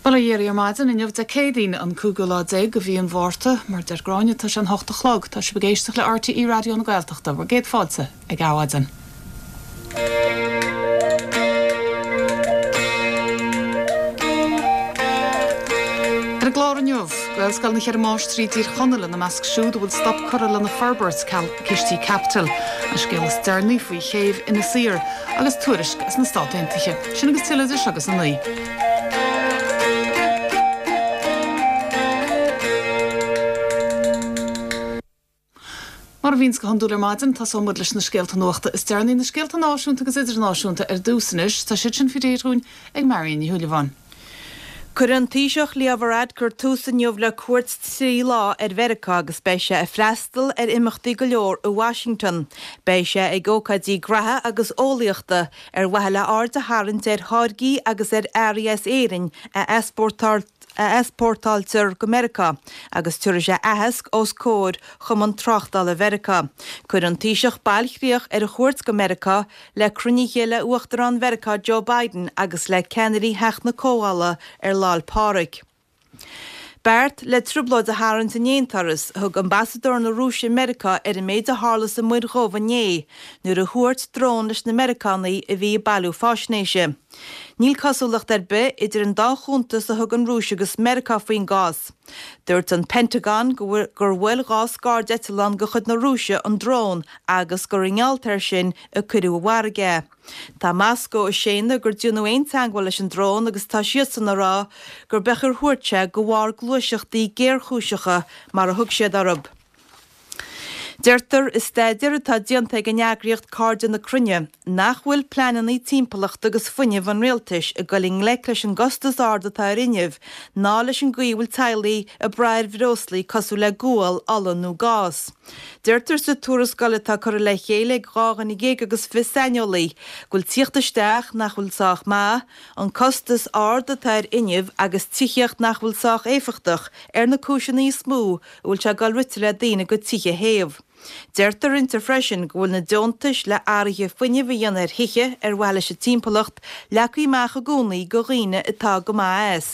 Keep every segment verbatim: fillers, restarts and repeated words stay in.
Bail ó Dhia oraibh ar maidin inniu Dé Céadaoin an cúigiú lá déag de mhí an Mhárta, mar deir Gráinne tá sé an hocht a chlog, tá sibh ag éisteacht le RTÉ Raidió na Gaeltachta, bhur gcéad fáilte ag Adhmhaidin. Ar an gclár inniu, Gaelscoil na Ceithre Máistrí i dTír Chonaill ina measc siúd a bhfuil stop curtha lena forbairt ceal cistí caipitil, an scéal is deireanaí faoi chéibh Inis Oírr agus tuairisc as na Stáit Aontaithe. Sin agus tuilleadh idir seo agus a naoi. Mar a bhíonns go hiondúil ar maidin, tosóidh muid leis na scéalta nuachta is deireanaí, na scéalta náisiúnta agus idirnáisiúnta ar dtús anois. Tá siad sin faoi réir dúinn ag Marion Ní Shúilleabháin. Cuirfidh an Taoiseach Leo Varadkar tús inniu le cuairt trí lá ar Mheiriceá agus beidh sé ag freastal ar imeachtaí go leor i Washington. Beidh sé ag ócáidí graithe agus eolaíochta ar mhaithe le aird a tharraingt ar tháirgí agus ar earraí as Éirinn a easpórtáiltear go Meiriceá agus tabharfaidh sé aitheasc os comhair Chumann Tráchtála Mheiriceá. Cuirfidh an Taoiseach bailchríoch ar a chuairt go Meiriceá le cruinnithe le Uachtarán Mheiriceá Joe Biden agus le ceannairí Theach na Comhdhála ar Lá 'le Pádraig. Beart le trioblóid a tharraingt in aon turas, a thug ambasadóir na Rúise i Meiriceá ar an méid a tharla sa Muir Dhubh inné nuair a thuairt drón leis na Meiriceánaigh a bhí ag bailiú faisnéise. Níl cosúlacht ar bith idir an dá chuntas a thug an Rúis agus Meiriceá faoin gcás. Dúirt an Pentagon gur bhuail dhá scairdeitleán de chuid na Rúise an drón agus gur i ngeall air sin a cuireadh i bhfarraige é. Tá Moscó ag séanadh gur déanadh aon teagmháil leis an drón agus tá siadsan ag rá gur beag ar thuairt sé de bharr gluaiseachtaí géarchúiseacha mar a thug siad orthu. Deirtear i staidéar atá déanta ag an eagraíocht Cairde na Cruinne nach bhfuil pleananna timpeallachta agus fuinnimh an rialtais ag dul i ngleic leis an gcostas ard atá ar fhuinneamh ná leis an gcaoi a bhfuil teaghlaigh ag brath ar bhreoslaí cosúil le gual, ola nó gás. Deirtear sa tuarascáil atá curtha le chéile ag dhá dhuine déag agus fiche saineolaí go bhfuil tíocht isteach nach bhfuil sách maith, an costas ard atá ar fhuinneamh agus tithíocht nach bhfuil sách éifeachtach ar na cúiseanna is mó a bhfuil sé ag dul rite le daoine a gcuid tithe a théamh. Deirtear inti freisin go bhfuil na deontais le athruithe fuinnimh a dhéanamh ar thithe ar mhaithe leis an timpeallacht leagtha amach i gcónaí do dhaoine atá go maith as.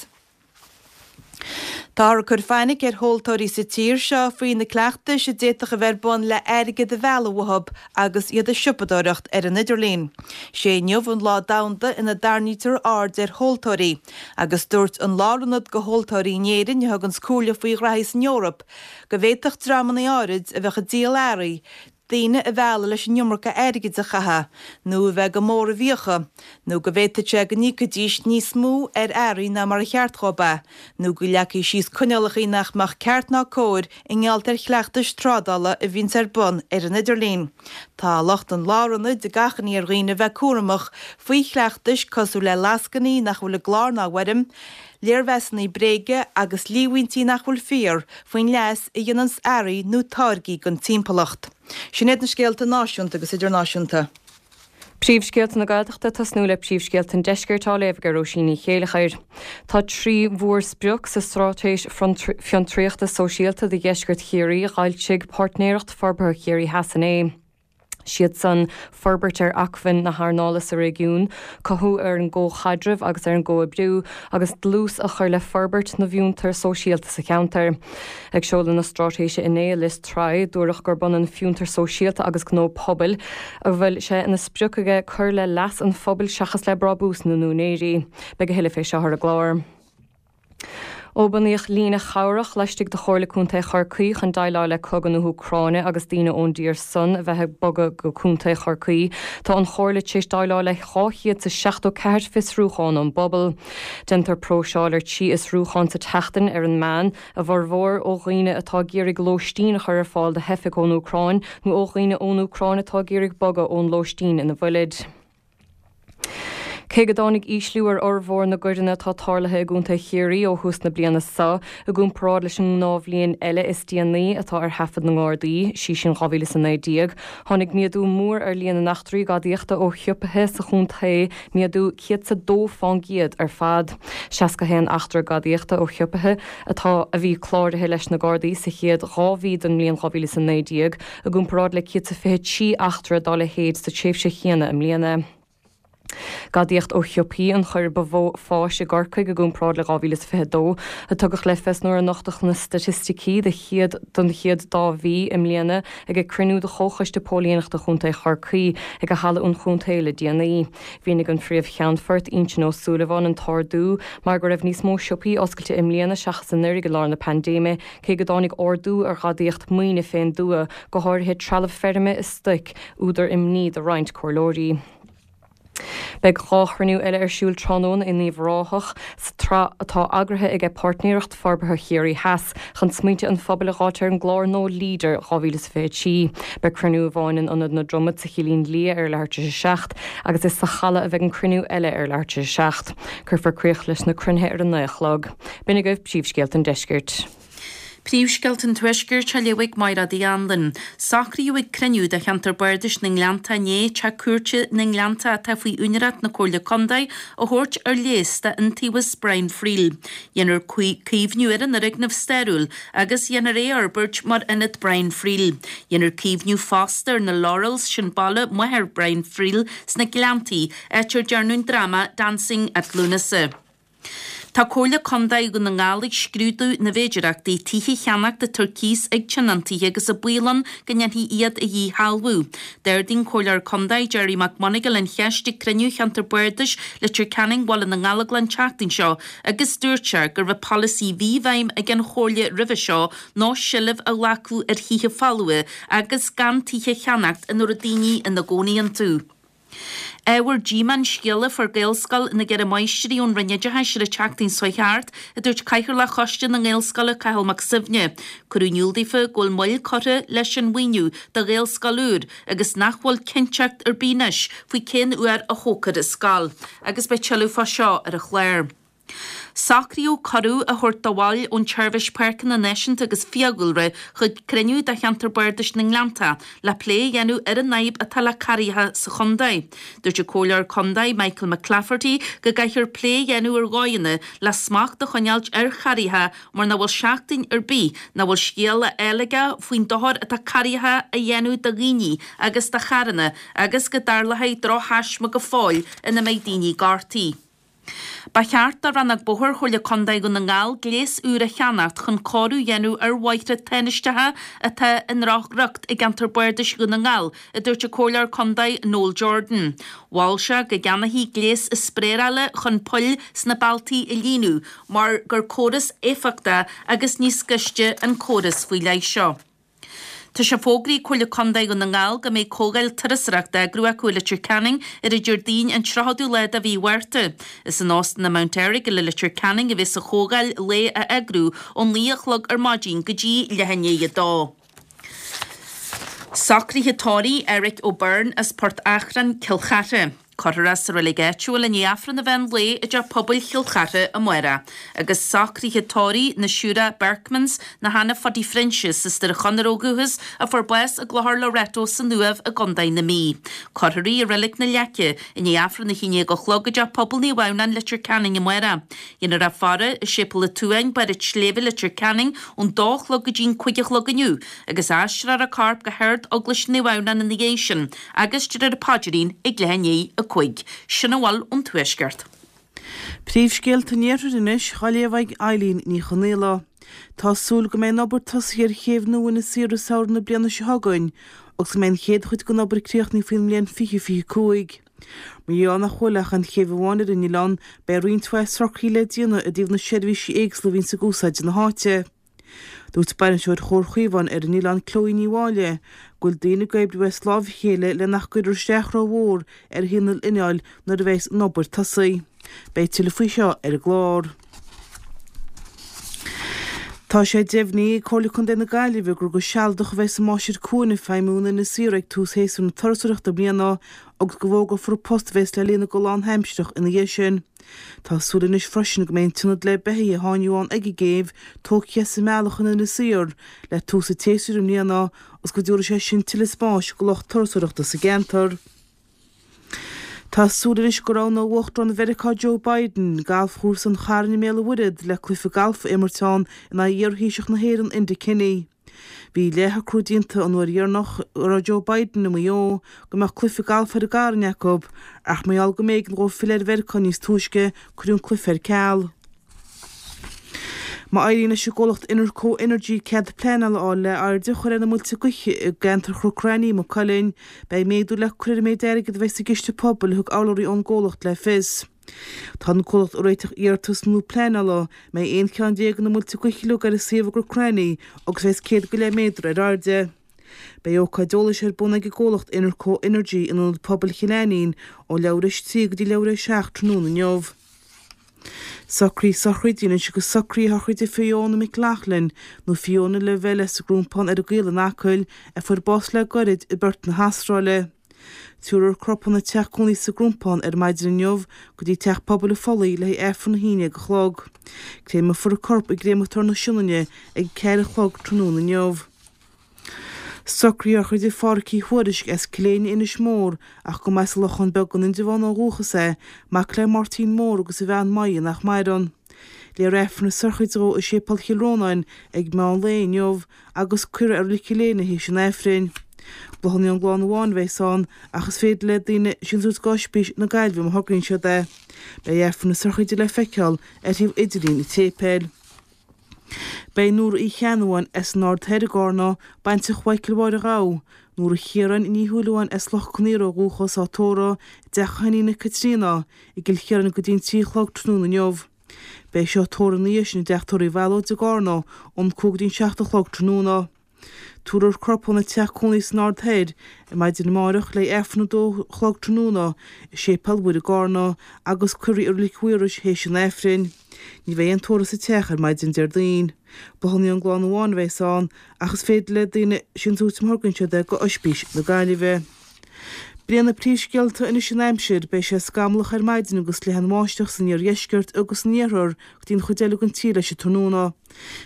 Táthar ag cur fainic ar thomhaltóirí sa tír seo faoi na cleachtais a d'fhéadfadh a bheith ar bun le airgead a mhealladh uathu agus iad ag siopadóireacht ar an idirlíon. Sé inniu an lá domhanda ina dtarraingítear aird ar thomhaltóirí agus dúirt an Lárionad do Thomhaltóirí in Éirinn, a thuganns comhairle faoi ghraithí san Eoraip, go bhféadfadh dreamanna áirid a bheadh ag díol earraí daoine a mhealladh leis an iomarca airgid a chaitheamh, nó a bheith go mór i bhfiacha, nó go bhféadfadh sé go n-íocfaidís níos mó ar earraí ná mar a cheart dhóibh é, nó go leagfaí síos coinníollacha nach mbeadh ceart ná cóir i ngeall ar chleachtais trádála a bhíonns ar bun ar an idirlíon. Tá lucht an Lárionaid ag achainí ar dhaoine a bheith cúramach faoi chleachtais cosúil le lascainí nach bhfuil i gclár ná i bhfoirm, léirmheasanna bréige agus líomhaintí nach bhfuil fíor faoin leas a dhéananns earraí nó táirgí don timpeallacht. Sin iad na scéalta náisiúnta agus idirnáisiúnta. Príomhscéalta na Gaeltachta ag tosnú le príomhscéalta an Deiscirt á léamh ag Róisín Ní Chéilleachair. Tá trí mhórsprioc sa Straitéis Fiontraíochta Sóisialta do Dheisceart Chiarraí a d'fhoilsigh Páirtnéireacht Forbartha Chiarraí Theas inné. Siad san, forbairt ar acmhainn na hearnála sa réigiún, cothú ar an gcomhchaidreamh agus ar an gcomhoibriú, agus dlús a chur le forbairt na bhfiontar sóisialta sa cheantar. Ag seoladh na straitéise inné i Lios Tuathail, dúradh gurb ionann fiontar sóisialta agus gnó pobail, a bhfuil sé ina sprioc aige cur le leas an phobail seachas le brabús na n-úinéirí. Beidh a thuilleadh fé seo ar an gclár. Ó bunaíodh líne chabhrach laistigh de Chomhairle Contae Chorcaí chun déileáil le cogadh na hÚcráine agus daoine ón dtír san a bheith ag bogadh go Contae Chorcaí, tá an Chomhairle tar éis déileáil le dhá chéad is seachtó ceathair fiosrúchán ón bpobal. Déantar próiseáil ar trí fhiosrúchán sa tseachtain ar an meán, a bhformhór ó dhaoine atá ag iarraidh lóistín a chur ar fáil do theifigh ón Úcráin nó ó dhaoine ón Úcráin atá ag iarraidh bogadh ón lóistín ina bhfuilid. Cé go dtáinig ísliú ar fhormhór na gcoireanna atá tarlaithe i gContae Chiarraí ó thús na bliana seo, i gcomparáid leis an ngnáthbhliain eile is déanaí atá ar thaifead na nGardaí, sí sin dhá mhíle is a naoi déag, tháinig méadú mór ar líon na n-eachtraí gadaíochta ó shiopaithe sa chontae, méadú céad is a dó fán gcéad ar fad. seasca a haon eachtra gadaíochta ó shiopaithe atá a bhí cláraithe leis na Gardaí sa chéad dhá mhí den mbliain dhá mhíle is a naoi déag, i gcomparáid le céad is fiche trí eachtra dá leithéid sa tréimhse chéanna i mbliana. Gadaíocht ó shiopaí an choir ba mhó fáis i gCorcaigh i gcomparáid le dhá mhíle is fiche a dó, a tugadh le fios nuair a nochtadh na staitisticí do chéad don chéad dá mhí i mbliana ag cruinniú de Chomhchoiste Póilíneachta Chontae Chorcaí ag Halla an Chontae le déanaí. Mhínigh an Phríomh-Cheannfort Uinseann Ó Súilleabháin an t-ardú mar go raibh níos mó siopaí oscailte i mbliana seachas anuraidh i lár na paindéime, cé go dtáinig ardú ar ghadaíocht maoine fén dtuath, go háirithe trealamh feirme is stoic, údar imní do roinnt comhairleoirí. Beidh dhá chruinniú eile ar siúl tráthnóna in Uíbh Ráthach sa tsraith atá eagraithe aige Páirtnéireacht Forbartha Chiarraí Theas chun smaointe an phobail a dh'fháilt ar an gclár nua Leader dhá mhíle is fiche a trí. Beidh cruinniú amháin in Ionad na Dromad sa Chillín Liath ar leathuair tar éis a seacht agus is sa halla a bheidh an cruinniú eile ar leathuair tar éis a seacht. Cuirfear críoch leis na cruinnithe ar a naoi a chlog. B'in agaibh príomhscéalta an deiscirt. Príomhscéalta an Tuaiscirt á léamh ag Máire Uí Anluain. Socraíodh ag cruinniú de Cheantar Bardais na nGleannta inné teach cúirte na nGleannta atá faoi úinéireacht na Comhairle Contae a thabhairt ar léas d'Iontaobhas Brian Friel. Dhéanfar caomhnú ar an fhoirgneamh stairiúil agus dhéanfar é a fhorbairt mar Ionad Brian Friel. Dhéanfar caomhnú fosta ar na Laurels, sin baile máthair Brian Friel sna Gleanntaí, áit ar dearnadh an dráma Dancing at Lughnasa. Tá Comhairle Contae Dhún na nGall ag scrúdú na bhféidearthachtaí tithe a cheannacht atá ar cíos ag tionóntaithe agus an baol ann go ndéanfaí iad a dhíshealbhú. D'ardaigh an Comhairleoir Contae Gerry McMonagall an cheist ag cruinniú Cheantar Bardais Leitir Ceanainn Bhaile na nGallóglach an tseachtain seo agus dúirt sé go raibh polasaí a bhí i bhfeidhm ag an Chomhairle roimhe seo ná seilbh a ghlacadh ar thithe folmha agus gan tithe a cheannacht ina raibh daoine ina gcónaí iontu. Ábhar díomá an scéala a fuair Gaelscoil na gCeithre Máistrí ón Roinn Oideachais ar an tseachtain seo thart, a dúirt Cathaoirleach Choiste na nGaelscoileanna Cathal Mac Suibhne. Cuireadh in iúl daofa go bhfuil moill curtha leis an mhaoiniú do Ghaelscoil úr agus nach bhfuil cinnteacht ar bith anois faoi cén uair a thógfar an scoil. Agus beidh tuilleadh fá seo ar an chlár. Socraíodh cuireadh a thabhairt do bhaill ón tSeirbhís Páirceanna Náisiúnta agus Fiadhúlra chuig cruinniú de Cheantar Bardais na nGleannta le plé a dhéanamh ar an fhadhb atá le carraigheacha sa chontae. Dúirt an Comhairleoir Contae Michael McClafferty go gcaithfear plé a dhéanamh ar dhóigheanna le smacht a choinneáilt ar charraigheacha mar nach bhfuil seachtain ar bith nach bhfuil scéal á fháil aige faoin dochar atá carraigheacha a dhéanamh do dhaoine agus do charranna agus go dtarlóidh drochthaisme go fóill ina mbeidh daoine gortaithe. Ba cheart do Rannóg Bóthair Chomhairle Contae Dhún na nGall gléas úr a cheannacht chun cóiriú a dhéanamh ar bhóithre tánaisteacha atá i ndrochriocht i gceantar Bardais Dhún na nGall, a dúirt an Comhairleoir Contae Noel Jordan. Mhol sé go gceannófaí gléas spraerála chun poill sna bealtaí a líonadh mar gur córas éifeachtach agus níos gaiste an córas faoi leith seo. Tá sé fógraithe ag Comhairle Contae Dhún na nGall go mbeidh comhdháil turasóireachta á eagrú acu i Leitir Ceanainn ar an Déardaoin an tríochadú lá de mhí Mhárta. Is in Óstán an Mount Errigal i Leitir Ceanainn a bheas an chomhdháil lae á eagrú ón naoi a chlog ar maidin go dtí leath i ndiaidh a dó. Socruithe tórraimh Eric O'Byrne as Port Achrann, Cill Chartha. Cuirfear é sa reilig áitiúil i ndiaidh Aifreann an mheán lae i dteach pobail Chill Chartha amárach. Agus socruithe tórraimh na Siúire Berkmans, nó Hannah Phuddy Phroinsias as Doire Chonaire ó dhúchas, a fuair bás i gClochar Loreto san Uaimh i gContae na Mí. Cuirfear í i Reilig na Leice i ndiaidh Aifreann a haon déag a chlog i dteach pobail Naomh Adhamhnáin, Leitir Ceanainn amárach. Dhéanfar í a faire i Séipéal an tSuain, Barr an tSléibhe, Leitir Ceanainn ón dó a chlog go dtí an cúig a chlog inniu agus aistreofar a corp go hArd-Eaglais Naomh Adhamhnáin ina dhiaidh sin agus déarfar an paidrín ag leath i ndiaidh a cúig. Sin a bhfuil ón Tuaisceart. Príomhscéalta an Iarthair anois, á léamh ag Eileen Ní Chonaola. Tá súil go mbeidh an obair tosaithe ar chéibh nua Inis Oírr i samhradh na bliana seo chugainn agus go mbeidh an chéad chuid den obair críochnaithe faoin mbliain fiche fiche cúig. Mar gheall nach bhfuil ach an chéibh amháin ar an oileán, beidh roinnt mhaith socruithe le déanamh i dtaobh na seirbhísí éagsúla a bhíonns ag úsáid na háite. Dúirt bainisteoir Chomhar Chaomháin ar an oileán Chloe Ní Mháille go bhfuil daoine ag oibriú as lámh a chéile le nach gcuirfear isteach rómhór ar shaol an oileáin nuair a bheas an obair tosaithe. Beidh tuilleadh faoi seo ar an gclár. Tá sé deimhnithe ag Comhairle Contae na Gaillimhe gur go sealadach a bheas an Máistir Cuain ag feidhmiú in Inis Oírr ag tús shéasúr na turasóireachta i mbliana agus go bhfógrófar an post a bheas le líonadh go lánaimsearach ina dhiaidh sin. Tá súil anois freisin go mbeidh an t-ionad le beithígh atá inniu ann ag an gcéibh tógtha as an mbealach in Inis Oírr le tús an tséasúir i mbliana agus go dtabharfaidh sé sin tuilleadh spáis do lucht turasóireachta sa gceantar. Tá súil anois go roghnóidh Uachtarán Mheiriceá Joe Biden galfchúrsa an Chairn i mBéal an Mhuirthead le cluiche galf a imirt ann in aghaidh iarthaoiseach na hÉireann Enda Kenny. Bhí leathshocrú déanta an uair dheireanach a raibh Joe Biden i Maigh Eo go mbeadh cluiche gailf ar an gCarn acu, ach mar gheall go mb'éigean dhó filleadh ar Mheiriceá níos túisce, cuireadh an cluiche ar ceal. Má éiríonn leis an gcomhlacht Enerco Energy cead pleanála a fháil le airde a chur ar na muilte gaoithe i gceantar Chnoc Raithní i Maigh Cuilinn, beidh méadú le cur ar an méid airgid a bheidh sa gciste pobail, a thug urlabhraí ón gcomhlacht le fios. Tá an comhlacht ag réiteach iarratas nua pleanála, a mbeidh aon cheann déag de na muilte gaoithe uilig ar an suíomh i gCnoc Raithní agus a bheas céad go leith méadar ar airde. Beidh ócáid eolais ar bun ag an gcomhlacht Enerco Energy in Ionad Pobail Chill Ainnín ó leathuair théis a trí go dtí leathuair théis a seacht tráthnóna inniu. Socruithe sochraide anois agus socruithe shochraide Fiona McLaughlin, nó Fiona Lavelle as an gCrompán ar an gCaol in Acaill, a fuair bás le gairid i bPerth na hAstráile. Tabharfar a corp óna teach cónaí sa gCrompán ar maidin inniu go dtí Teach Pobail an Phollaigh le haghaidh Aifreann a haon déag a chlog. Créamfar a corp i gcréamatóir na Sionainne ag a ceathair a chlog tráthnóna inniu. Socruithe sochraide Phádhraic Uí Thuairisg as Cill Éinne, Inis Mór, ach go mba as an Lochán Beag in Indreabhán ó dhúchas é, mac le Máirtín Mór agus a bhean Moya nach maireann. Léifear Aifreann na sochraide dhó i Séipéal Chill Rónáin ag meán lae inniu agus cuirfear é i Reilig Chill Éinne théis an Aifrinn. Bláthanna ón gclann amháin a bheas ann ach is féidir le daoine síntiús go Ospís na Gaillimhe má thograíonn siad é. Beidh Aifreann na sochraide le feiceáil ar shuíomh idirlín an tséipéil. Beidh Nóra Uí Cheannabháin as an Aird Thoir i gCarna, baintreach Mhichael Mháire Ghabha, Nóra Chiaráin Ní Shúilleabháin as Loch Con Aortha ó dhúchas á tórramh i dteach a hiníne Caitríona i gCill Chiaráin go dtí an trí a chlog tráthnóna inniu. Beidh seo tórramh ina dhiaidh sin i dteach tórraimh Mhealóid i gCarna ón cúig go dtí an seacht a chlog tráthnóna. Tabharfar a corp óna teach cónaí san Aird Thoir ar maidin amárach le haghaidh Aifreann a dó a chlog tráthnóna i Séipéal Mhuire i gCarna agus cuirfear í i Reilig Mhaorais théis an Aifrinn. Ní bheidh aon tórramh sa teach ar maidin Déardaoin. Bláthanna ón gclann amháin a bheas ann ach is féidir le daoine síntiús má thograíonn siad é go Ospís na Gaillimhe. B'in iad na príomhscéalta anois an aimsir, beidh sé scamallach ar maidin agus leathan-bháisteach san iardheisceart agus san iarthar go dtí an chuid eile den tír leis an tráthnóna.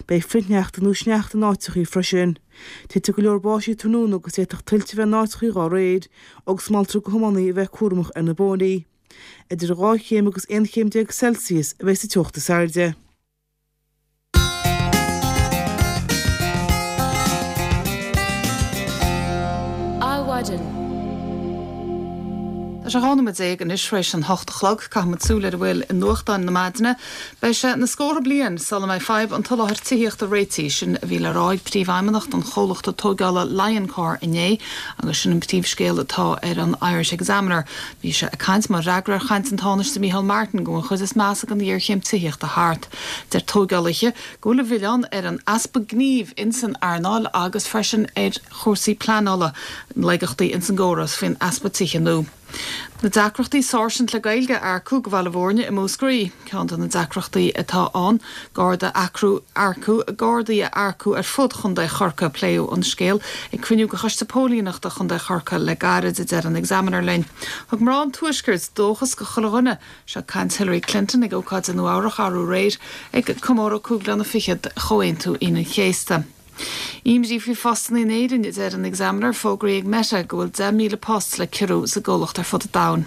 Beidh frithshneachta nó sneachta in áiteachaí freisin. Titfidh go leor báistí tráthnóna agus d'fhéadfadh tuilte a bheith in áiteachaí dhá réir, agus moltar do thiománaithe a bheith cúramach ar na bóithrí. Idir dhá chéim agus aon chéim déag Celsius a bheidh sa teocht is airde. Adhmhaidin. Tá sé dhá nóiméad déag anois tar éis an hocht a chlog. Caithfimid súil ar a bhfuil i nuachtáin na maidine. Beidh sé na scórtha bliain sula mbeidh fadhb an tsoláthair tithíochta réitithe, sin a bhí le rá ag príomhfheidhmeannach an chomhlachta tógála Lioncor inné agus sin an príomhscéal atá ar an Irish Examiner. Bhí sé ag caint mar fhreagra ar chaint an Tánaiste Micheál Martin go bhfuil an chuid is measa den ghéarchéim tithíochta thart. Deir tógálaithe go bhfuil an milleán ar an easpa gnímh ins an earnáil agus freisin ar chúrsaí pleanála, laigeachtaí ins an gcóras faoin easpa tithe nua. Na deacrachtaí sáirsint le Gaeilge a earcú go Bhaile Bhúirne i Múscraí. Ceann de na deacrachtaí atá ann, Garda eacrú earcú Gardaí a earcú ar fud Chontae Chorcaí. Pléadh an scéal ag cruinniú de Choiste Póilíneachta Chontae Chorcaí le gairid, a deir an Examiner linn. Thug mná an Tuaiscirt dóchas go chuile dhuine. Seo caint Hillary Clinton ag ócáid i Nua Eabhrach arú aréir ag comóradh cúig bliana fichead de Chomhaontú Aoine an Chéasta. Imní faoi phostanna in Éirinn, a deir an Examiner, fógraithe ag Meta go bhfuil deich míle post le ciorrú sa gcomhlacht ar fud an domhain.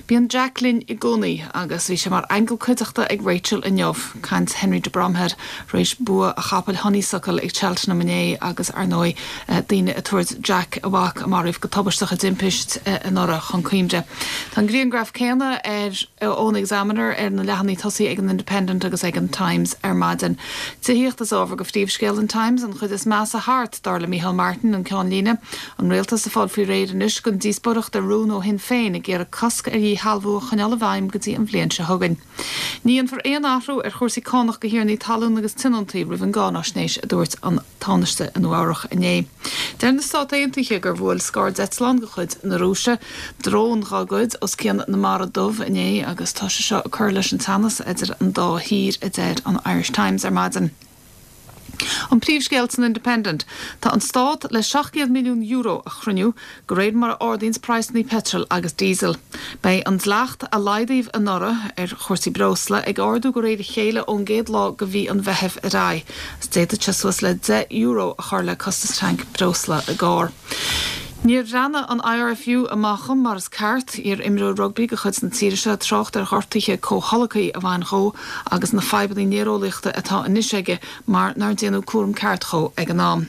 Bíonn Jack linn i gcónaí agus bhí sé mar aingeal cuideachta ag Rachel inniu. Caint Henry de Bromhead tar éis bua a chapaill Honeysuckle ag Cheltenham inné agus, ar ndóigh, daoine ag tabhairt Jack, a mhac a maraíodh go tubaisteach i dtimpist anuraidh, chun cuimhne. Tá an grianghraf céanna ar ón Examiner ar na leathanaigh tosaigh ag an Independent agus ag an Times ar maidin. Tithíocht is ábhar do phríomhscéal an Times, an chuid is measa thart, dar le Micheál Martin, an ceannlíne. An rialtas ag fáil faoi réir anois don díospóireacht ar rún ó Shinn Féin ag iarraidh cosc ar dhíshealbhú a choinneáil i bhfeidhm go dtí an bhliain seo chugainn. Ní dhéanfar aon athrú ar chúrsaí cánach do thiarnaí talún agus tionóntaí roimh an gcáináisnéis, a dúirt an Tánaiste i Nua Eabhrach inné. Deir na Stáit Aontaithe gur bhuail scairdeitleán de chuid na Rúise drón dá gcuid os cionn na Mara Dubh inné agus tá sé seo ag cur leis an teannas idir an dá thír, a deir an Irish Times ar maidin. An príomhscéal san Independent, Tá an Stát le seacht gcéad milliún euro a chruinniú de réir mar a ardaíonns praghsanna peitril agus díosail. Beidh an dleacht a laghdaíodh anuraidh ar chúrsaí breosla ag ardú de réir a chéile ón gcéad lá de mhí an Mheithimh ar aghaidh is d'fhéadfadh sé suas le deich euro a chur le costas tanc breosla i gcarr. Níor bhreathnaigh an IRFU amach dhom mar is ceart, iar-imreoir rugbaí de chuid na tíre seo ag trácht ar ghortuithe comhtholgtha a bhain dhó agus na fadhbanna néareolaíochta atá anois aige mar nár déanadh cúram ceart dhó ag an am.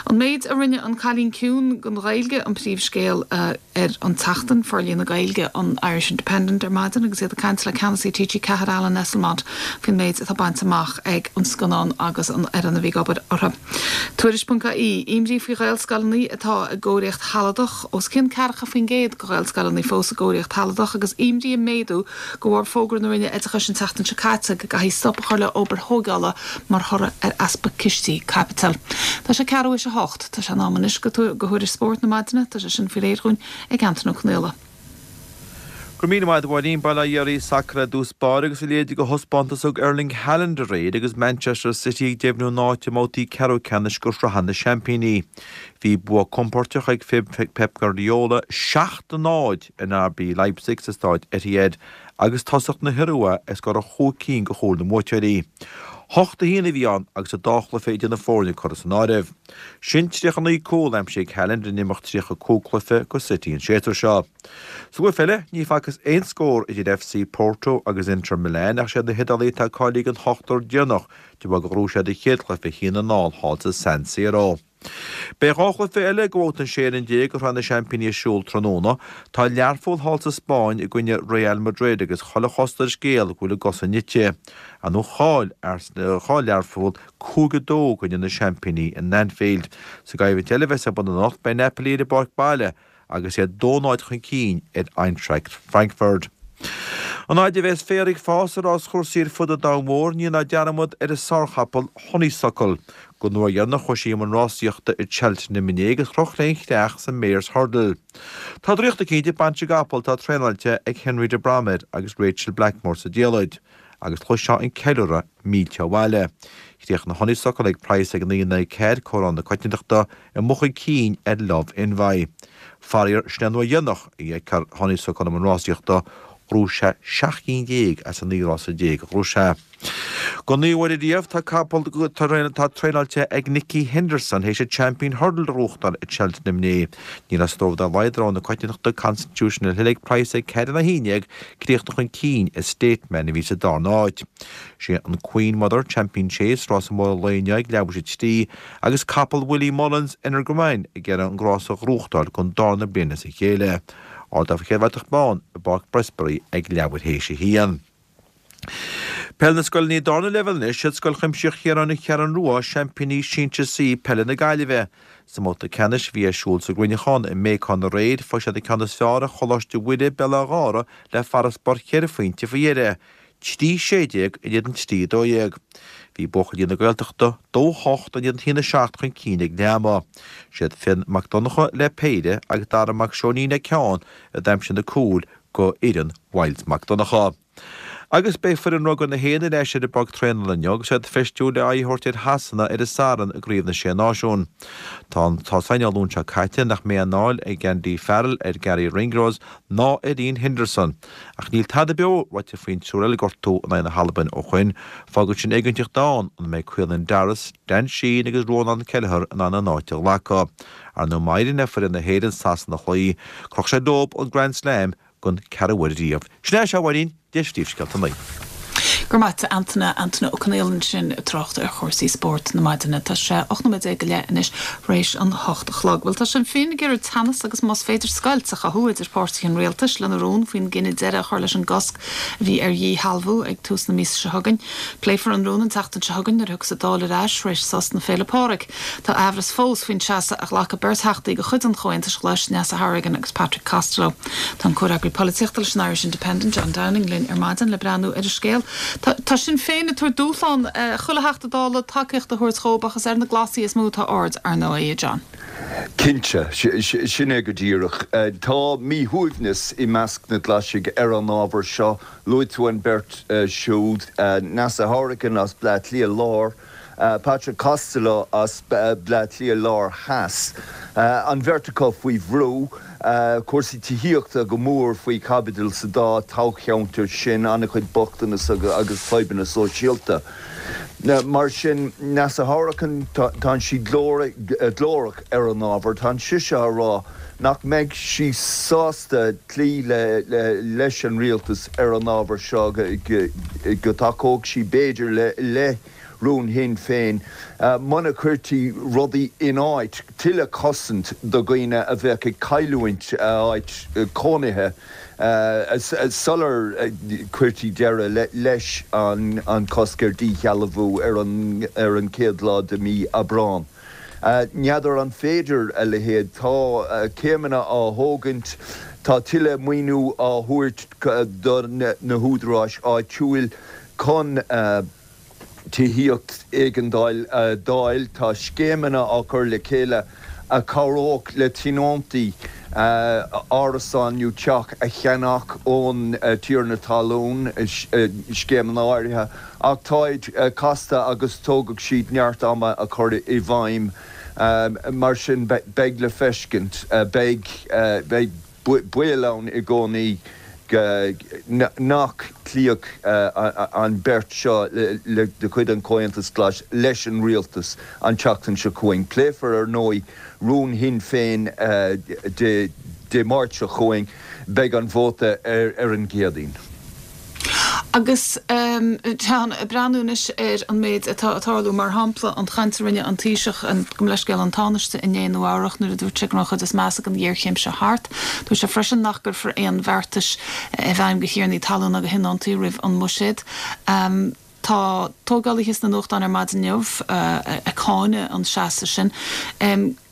An méid a rinne an Cailín Ciúin don Ghaeilge an príomhscéal uh, ar an tseachtain forlíonadh Gaeilge an Irish Independent ar maidin agus iad ag caint le ceannasaí T G Ceathair Alan Esslemont faoin méid atá bainte amach ag an scannán agus an fhoireann a bhí ag obair orthu. Tuairisc ponc I E imní faoi Ghaelscoileanna atá i gcóiríocht shealadach os cionn ceathracha faoin gcéad de Ghaelscoileanna fós i gcóiríocht shealadach agus imní ag méadú de bharr fógra na Roinne Oideachais an tseachtain seo caite go gcaithfí stop a chur le obair thógála mar thoradh ar easpa cistí caipitil. Tá sé ceathrú théis a hocht, tá sé in am anois go go thuairisc spóirt na maidine, tá sé sin faoi réir dhúinn ag Antain Ó Conghaile. Go raibh míle maith agat a Mháirín. Bail ó Dhia oraibh. Sacar i dtús báire agus a leithéid de thaispeántas a thug Erling Haaland aréir agus Manchester City ag deimhniú a n-áit i mbabhtaí ceathrú ceannais de Shraith na Seaimpíní. Bhí bua compordach ag Pep Guardiola seacht a náid in R B Leipzig sa staid Etihad agus tosach na hIorua ag scóráil chúig cinn de chúil na mbuaiteoirí. Hocht a haon a bhí ann agus an dá chluiche idir na foirne curtha san áireamh. Sin tríocha naoi cúl aimsithe ag Haaland in imeacht tríocha cúig cluiche do City an séasúr seo. Sa gcluiche eile, ní facthas aon scór idir F C Porto agus Inter Milan ach siad na hIodálaigh atá cáilithe don hochtar déanach de bharr gur ghnóthaigh siad an chéad chluiche a haon a náid thall sa San Siro. Beidh dhá chluiche eile de bhabhta an sé fhoireann déag de Shraith na Seaimpíní ar siúl tráthnóna. Tá Learpholl thall sa Spáinn i gcoinne Real Madrid agus chuile chosúlacht ar an scéal go bhfuil a gcosa nite. Ar ndóigh chaill chaill Learpholl cúig a dó i gcoinne na seaimpíní in Anfield. Sa gcoimhlint eile a bheas ar bun anocht beidh Napoli ar a bpáirc baile agus iad dó náid chun cinn ar Eintracht Frankfurt. An fhaid a bheas féar ag fás ar ráschúrsaí ar fud an domhain mhóir, ní dhéanfar dearmad ar an sárchapall Honeysuckle. Don uair dheireanach chuaigh sí i mbun rásaíochta i Cheltenham inné agus chroch léi an chreach sa Mares Hurdle. Tá draíocht eicínt ag baint i gcapall atá traenáilte ag Henry de Bromhead agus Rachel Blackmore sa diallait, agus chloisfeá an ceiliúradh mílte ó bhaile. Chríochnaigh Honeysuckle ag praghas ag naoi naoi ceathair comhaireamh na coitiantachta i mboth chun cinn ar Love Envy. Faraor, sin an uair dheireanach a fheicfear Honeysuckle i mbun rásaíochta. Ghnóthaigh sé seacht gcinn déag as an naoi rása déag a ghnóthaigh sé. Don naoú huair riamh tá capall atá traenáilte ag Nicky Henderson théis an Champion Hurdle a ghnóthachtáil i Cheltenham inné. Ní raibh stró dá laghad ar rogha na coitiantachta Constitutional Hill ag praghas ag ceathair a haon déag críochnú chun cinn ar Stateman a bhí sa darna háit. Sé an Queen Mother Champion Chase rása mór an lae inniu ag leathuair théis a trí agus capall Willie Mullins Energumene ag iarraidh an rás a ghnóthachtáil don darna bliain as a chéile. Ardófar an chéad bhratach bán i bPáirc Prestbury ag leathuair théis a haon. Peil na scoileanna darna leibhéal anois siad Scoil Chuimsitheach Chiaráin an Cheathrú Rua seaimpíní Sinsir C peile na Gaillimhe. Sa mbabhta ceannais a bhí ar siúl sa gCruinneachán i mBéacán aréir fuair siad an ceann is fearr ar Choláiste Mhuire Béal Átha Ghártha le farasbarr cheithre phointe faoi dheireadh. Trí sé déag in éadan trí dó dhéag. Bhí buachaillí na Gaeltachta dó hocht in éadan haon a seacht chun cinn ag leath ama. Siad Fionn Mac Donncha le péire agus Dara Mac Seoinín le ceann a d'aimsigh na cúil do fhoireann Mhyles Mac Donncha. Agus beidh foireann rugbaí na hÉireann ar ais ar an bpáirc traenála inniu agus iad feistiú le aghaidh a thabhairt ar Shasana ar an Satharn i gCraobh na Sé Náisiún. Tá tá san Luan seo caite nach mbeidh anáil ag Andy Farrell ar Garry Ringrose ná ar Iain Henderson. Ach níl tada beo ráite faoin triúr eile gortú in aghaidh na hAlban ó shin, fágann sin éiginnteacht ann an mbeidh Caelan Doris, Dan Sheehan agus Rónán Kelleher in ann a n-áit a ghlacadh. Ar ndóigh má éiríonn le foireann na hÉireann Sasana a chloí, cuirfidh sé leo an Grand Slam don ceathrú huair riamh. Sin é seo bhainín de phríomhscéalta an lae. Go raibh maith agat Antaine Antaine Ó Conghaile ansin ag trácht ar chúrsaí spóirt na maidine. Tá sé ocht nóiméad déag go leith anois théis an hocht a chlog. Bhuel tá Sinn Féin ag iarraidh teannas agus más féidir scoilt a chothú idir páirtithe an rialtais lena rún faoin gcinneadh deireadh a chur leis an gcosc a bhí ar dhíshealbhú ag tús na míosa seo chugainn. Pléifear an rún an tseachtain seo chugainn nuair a thiocfas an Dáil ar ais théis sos na Féile Pádraig. Tá amhras fós faoin seasamh a ghlac beirt Theachtaí de chuid an Chomhaontais Ghlais Neasa Hourigan agus Patrick Costello. Tá an comhfhreagraí polaitíochta leis an Irish Independent John Downing linn ar maidin le breathnú ar an scéal. Tá Sinn Féin ag tabhairt dúshlán chuile Theachta Dála tacaíocht a thabhairt dóibh ach is ar na Glasaigh is mó atá aird ar ndóigh John. Cinnte, sin é go díreach. Tá míshuaimhneas i measc na nGlasach ar an ábhar seo, luaigh tú an bheirt siúd Neasa Hourigan as Bleá Cliath Láir, Patrick Costello as Bleá Cliath Láir Theas. An bheirt acu faoi bhrú, cúrsaí tithíochta go mór faoi chaibidil sa dá toghcheantar sin an-chuid bochtanas agus fadhbanna sóisialta. Mar sin Neasa Hourigan tá sí glórach ar an ábhar, tá sise á rá nach mbeidh sí sásta cloí le, le, leis an rialtas ar an ábhar seo go dtacódh sí b'fhéidir le le rún Shinn Féin muna gcuirtí rudaí in áit, tuilleadh cosaint do dhaoine a bheadh ag cailliúint a áit cónaithe sular cuirtí deireadh leis an cosc ar dhíshealbhú ar an chéad lá de mí Aibreán. N'fheadar an féidir a leithéid. Tá céimeanna á thógaint, tá tuilleadh maoiniú á thabhairt do na húdaráis áitiúil chun tithíocht éigeandáil a d'fháil, tá scéimeanna á cur le chéile a chabhródh le tionóntaí árasán nó teach a cheannach ón tiarna talún, scéimeanna áirithe, ach táid casta agus tógfaidh siad neart ama a chur i bhfeidhm. Mar sin, beidh le feiscint. Beidh baol ann i gcónaí nach gcloífeadh an bheirt seo de chuid an Chomhaontais Ghlais leis an rialtas an tseachtain seo chugainn. Pléifear, ar ndóigh, rún Shinn Féin Dé Máirt seo chugainn. Beidh an vóta ar an gCéadaoin. Agus Seán, ag breathnú anois ar an méid atá ag tarlú, mar shampla an chaint a rinne an Taoiseach, gabh mo leithscéal, an Tánaiste inné i Nua Eabhrach nuair a dúirt sé go raibh an chuid is measa den ghéarchéim seo thart. Dúirt sé freisin nach gcuirfear aon bheartais i bhfeidhm do thiarnaí talún agus thionóntaí roimh an mbuiséad. Tá tógálaithe sna nuachtáin ar maidin inniu ag cáineadh an seasamh sin.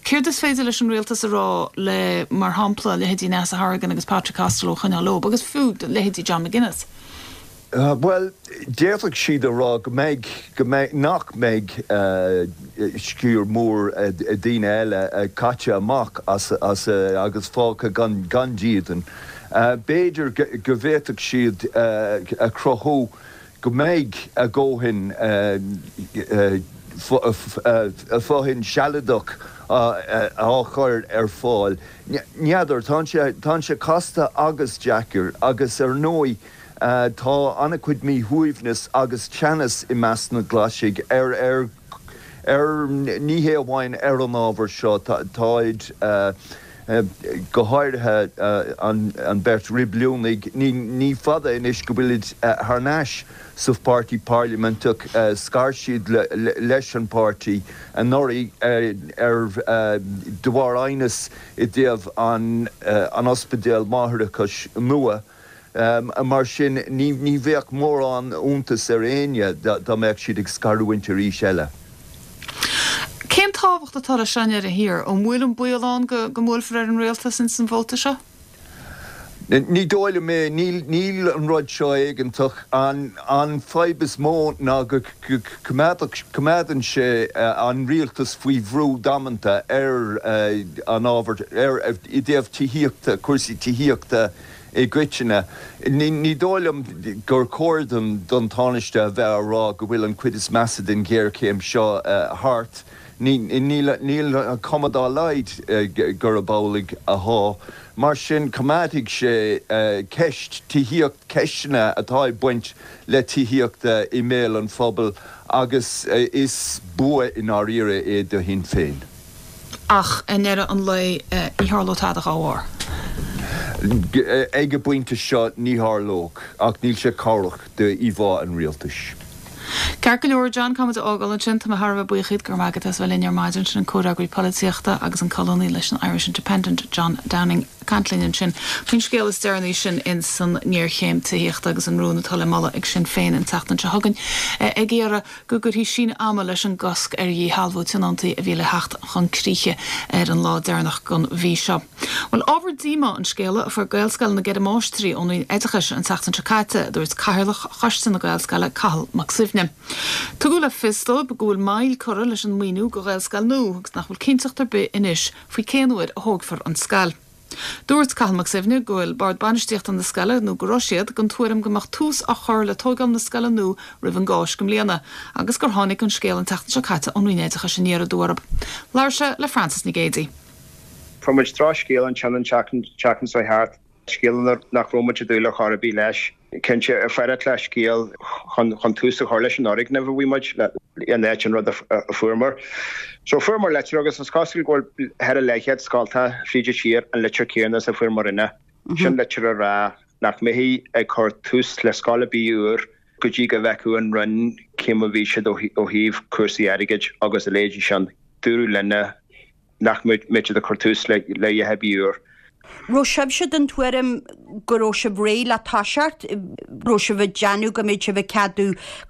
Céard is féidir leis an rialtas a rá le, mar shampla, leithéidí Neasa Hourigan agus Patrick Costello a choinneáil leo, agus fiú leithéidí John McGuinness? Bhuel, d'fhéadfadh siad a rá go mbeidh, go mbeidh, nach mbeidh sciar mór daoine eile caite amach as, as agus fágtha gan, gan dídean. B'fhéidir go bhféadfadh siad a chruthú go mbeidh a ndóthain fothain sealadach á chur ar fáil. N'fheadar, tá sé casta agus deacair agus ar ndóigh tá an-chuid míshuaimhneas agus teannas i measc na nGlaisigh ar ar ar ní hé amháin ar an ábhar seo, táid go háirithe an bheirt Reibiliúnaigh, ní fada anois go bhfuilid thar n-ais sa pháirtí parlaiminteach, scar siad leis an bpáirtí anuraidh ar de bharr aighneas i dtaobh an ospidéal máithreachais nua. Mar sin, ní bheadh mórán iontais ar éinne dá mbeadh siad ag scarúint arís eile. Cén tábhacht atá leis seo i ndeireadh thiar? An bhfuil an baol ann go mbuailfear ar an rialtas ins an vóta seo? Ní dóigh liom é. Níl an rud seo éigeantach. An fadhb is mó ná go coimeádann sé an rialtas faoi bhrú damanta ar an ábhar, i dtaobh tithíochta, cúrsaí tithíochta i gcoitinne. Ní dóigh liom gur chóir don Tánaiste a bheith á rá go bhfuil an chuid is measa den ghéarchéim seo thart. Níl an chuma dá laghad gurb amhlaidh atá. Mar sin, coimeádfaidh sé ceist tithíocht, ceisteanna atá ag baint le tithíocht i mbéal an phobail agus is bua i ndáiríre é do Shinn Féin. Ach i ndeireadh an lae, ní tharlódh tada dá bharr. Ag an bpointe seo, ní tharlódh, ach níl sé cabhrach d'íomhá an rialtais. Ceart go leor, John, caithfidh muid a fhágáil ansin. Tá mé thar a bheith buíoch díot, go raibh maith agat as bheith linn ar maidin. Sin an comhfhreagraí polaitíochta agus an colúnaí leis an Irish Independent, John Downing, ag caint linn ansin faoin scéal is deireanaí sin ins an ngéarchéim tithíochta agus an rún atá le moladh ag Sinn Féin an tseachtain seo chugainn ag iarraidh go gcuirfí síneadh ama leis an gcosc ar dhíshealbhú tionóntaí a bhí le theacht chun críche ar an lá deireanach den mhí seo. Bhuel, ábhar díomá an scéala a fuair Gaelscoil na gCeithre Máistrí ón Roinn Oideachais an tseachtain seo caite, a dúirt Cathaoirleach Choiste na Gaelscoile, Cathal Mac Suibhne. Tugadh le fios dóibh go bhfuil moill curtha leis an maoiniú do Ghaelscoil nua agus nach bhfuil cinnteacht ar bith anois faoi cén uair a thógfar an scoil. Dúirt Cathal Mac Suibhne go bhfuil Bord Bainistíochta na scoile, nó go raibh siad, den tuairim go mbeadh tús á chur le tógáil na scoile nua roimh an gCáisc i mbliana agus gur tháinig an scéal an tseachtain seo caite ón Roinn Oideachais aniar aduaidh orthu. Labhair sé le Frances Nic Géadaigh. Fuair muid drochscéal ansin an tseachtain seo thart, scéal nach raibh muid ag dúil ar chor ar bith leis. Cinnte, fearacht le scéal chun tús a chur leis an fhoirgneamh a bhí muid in áit an rud a fuaireamar. So fuaireamar litir agus is cosúil go bhfuil thar a leathchéad scolta fríd an tír an litir céanna is a fuaireamar inne. Sin litir a rá nach mbeifí ag cur tús le scoil ar bith úr go dtí go bhfeicfeadh an Roinn cé mar a bhí siad ó thaobh cúrsaí airgid agus a leithéidí sin. Dúradh linne nach mbeadh siad ag cur tús le a dhath ar bith úr. Raibh sibhse den tuairim go raibh sibh réidh le toiseacht? Raibh sibh ag déanamh go mbeadh sibh ag ceadú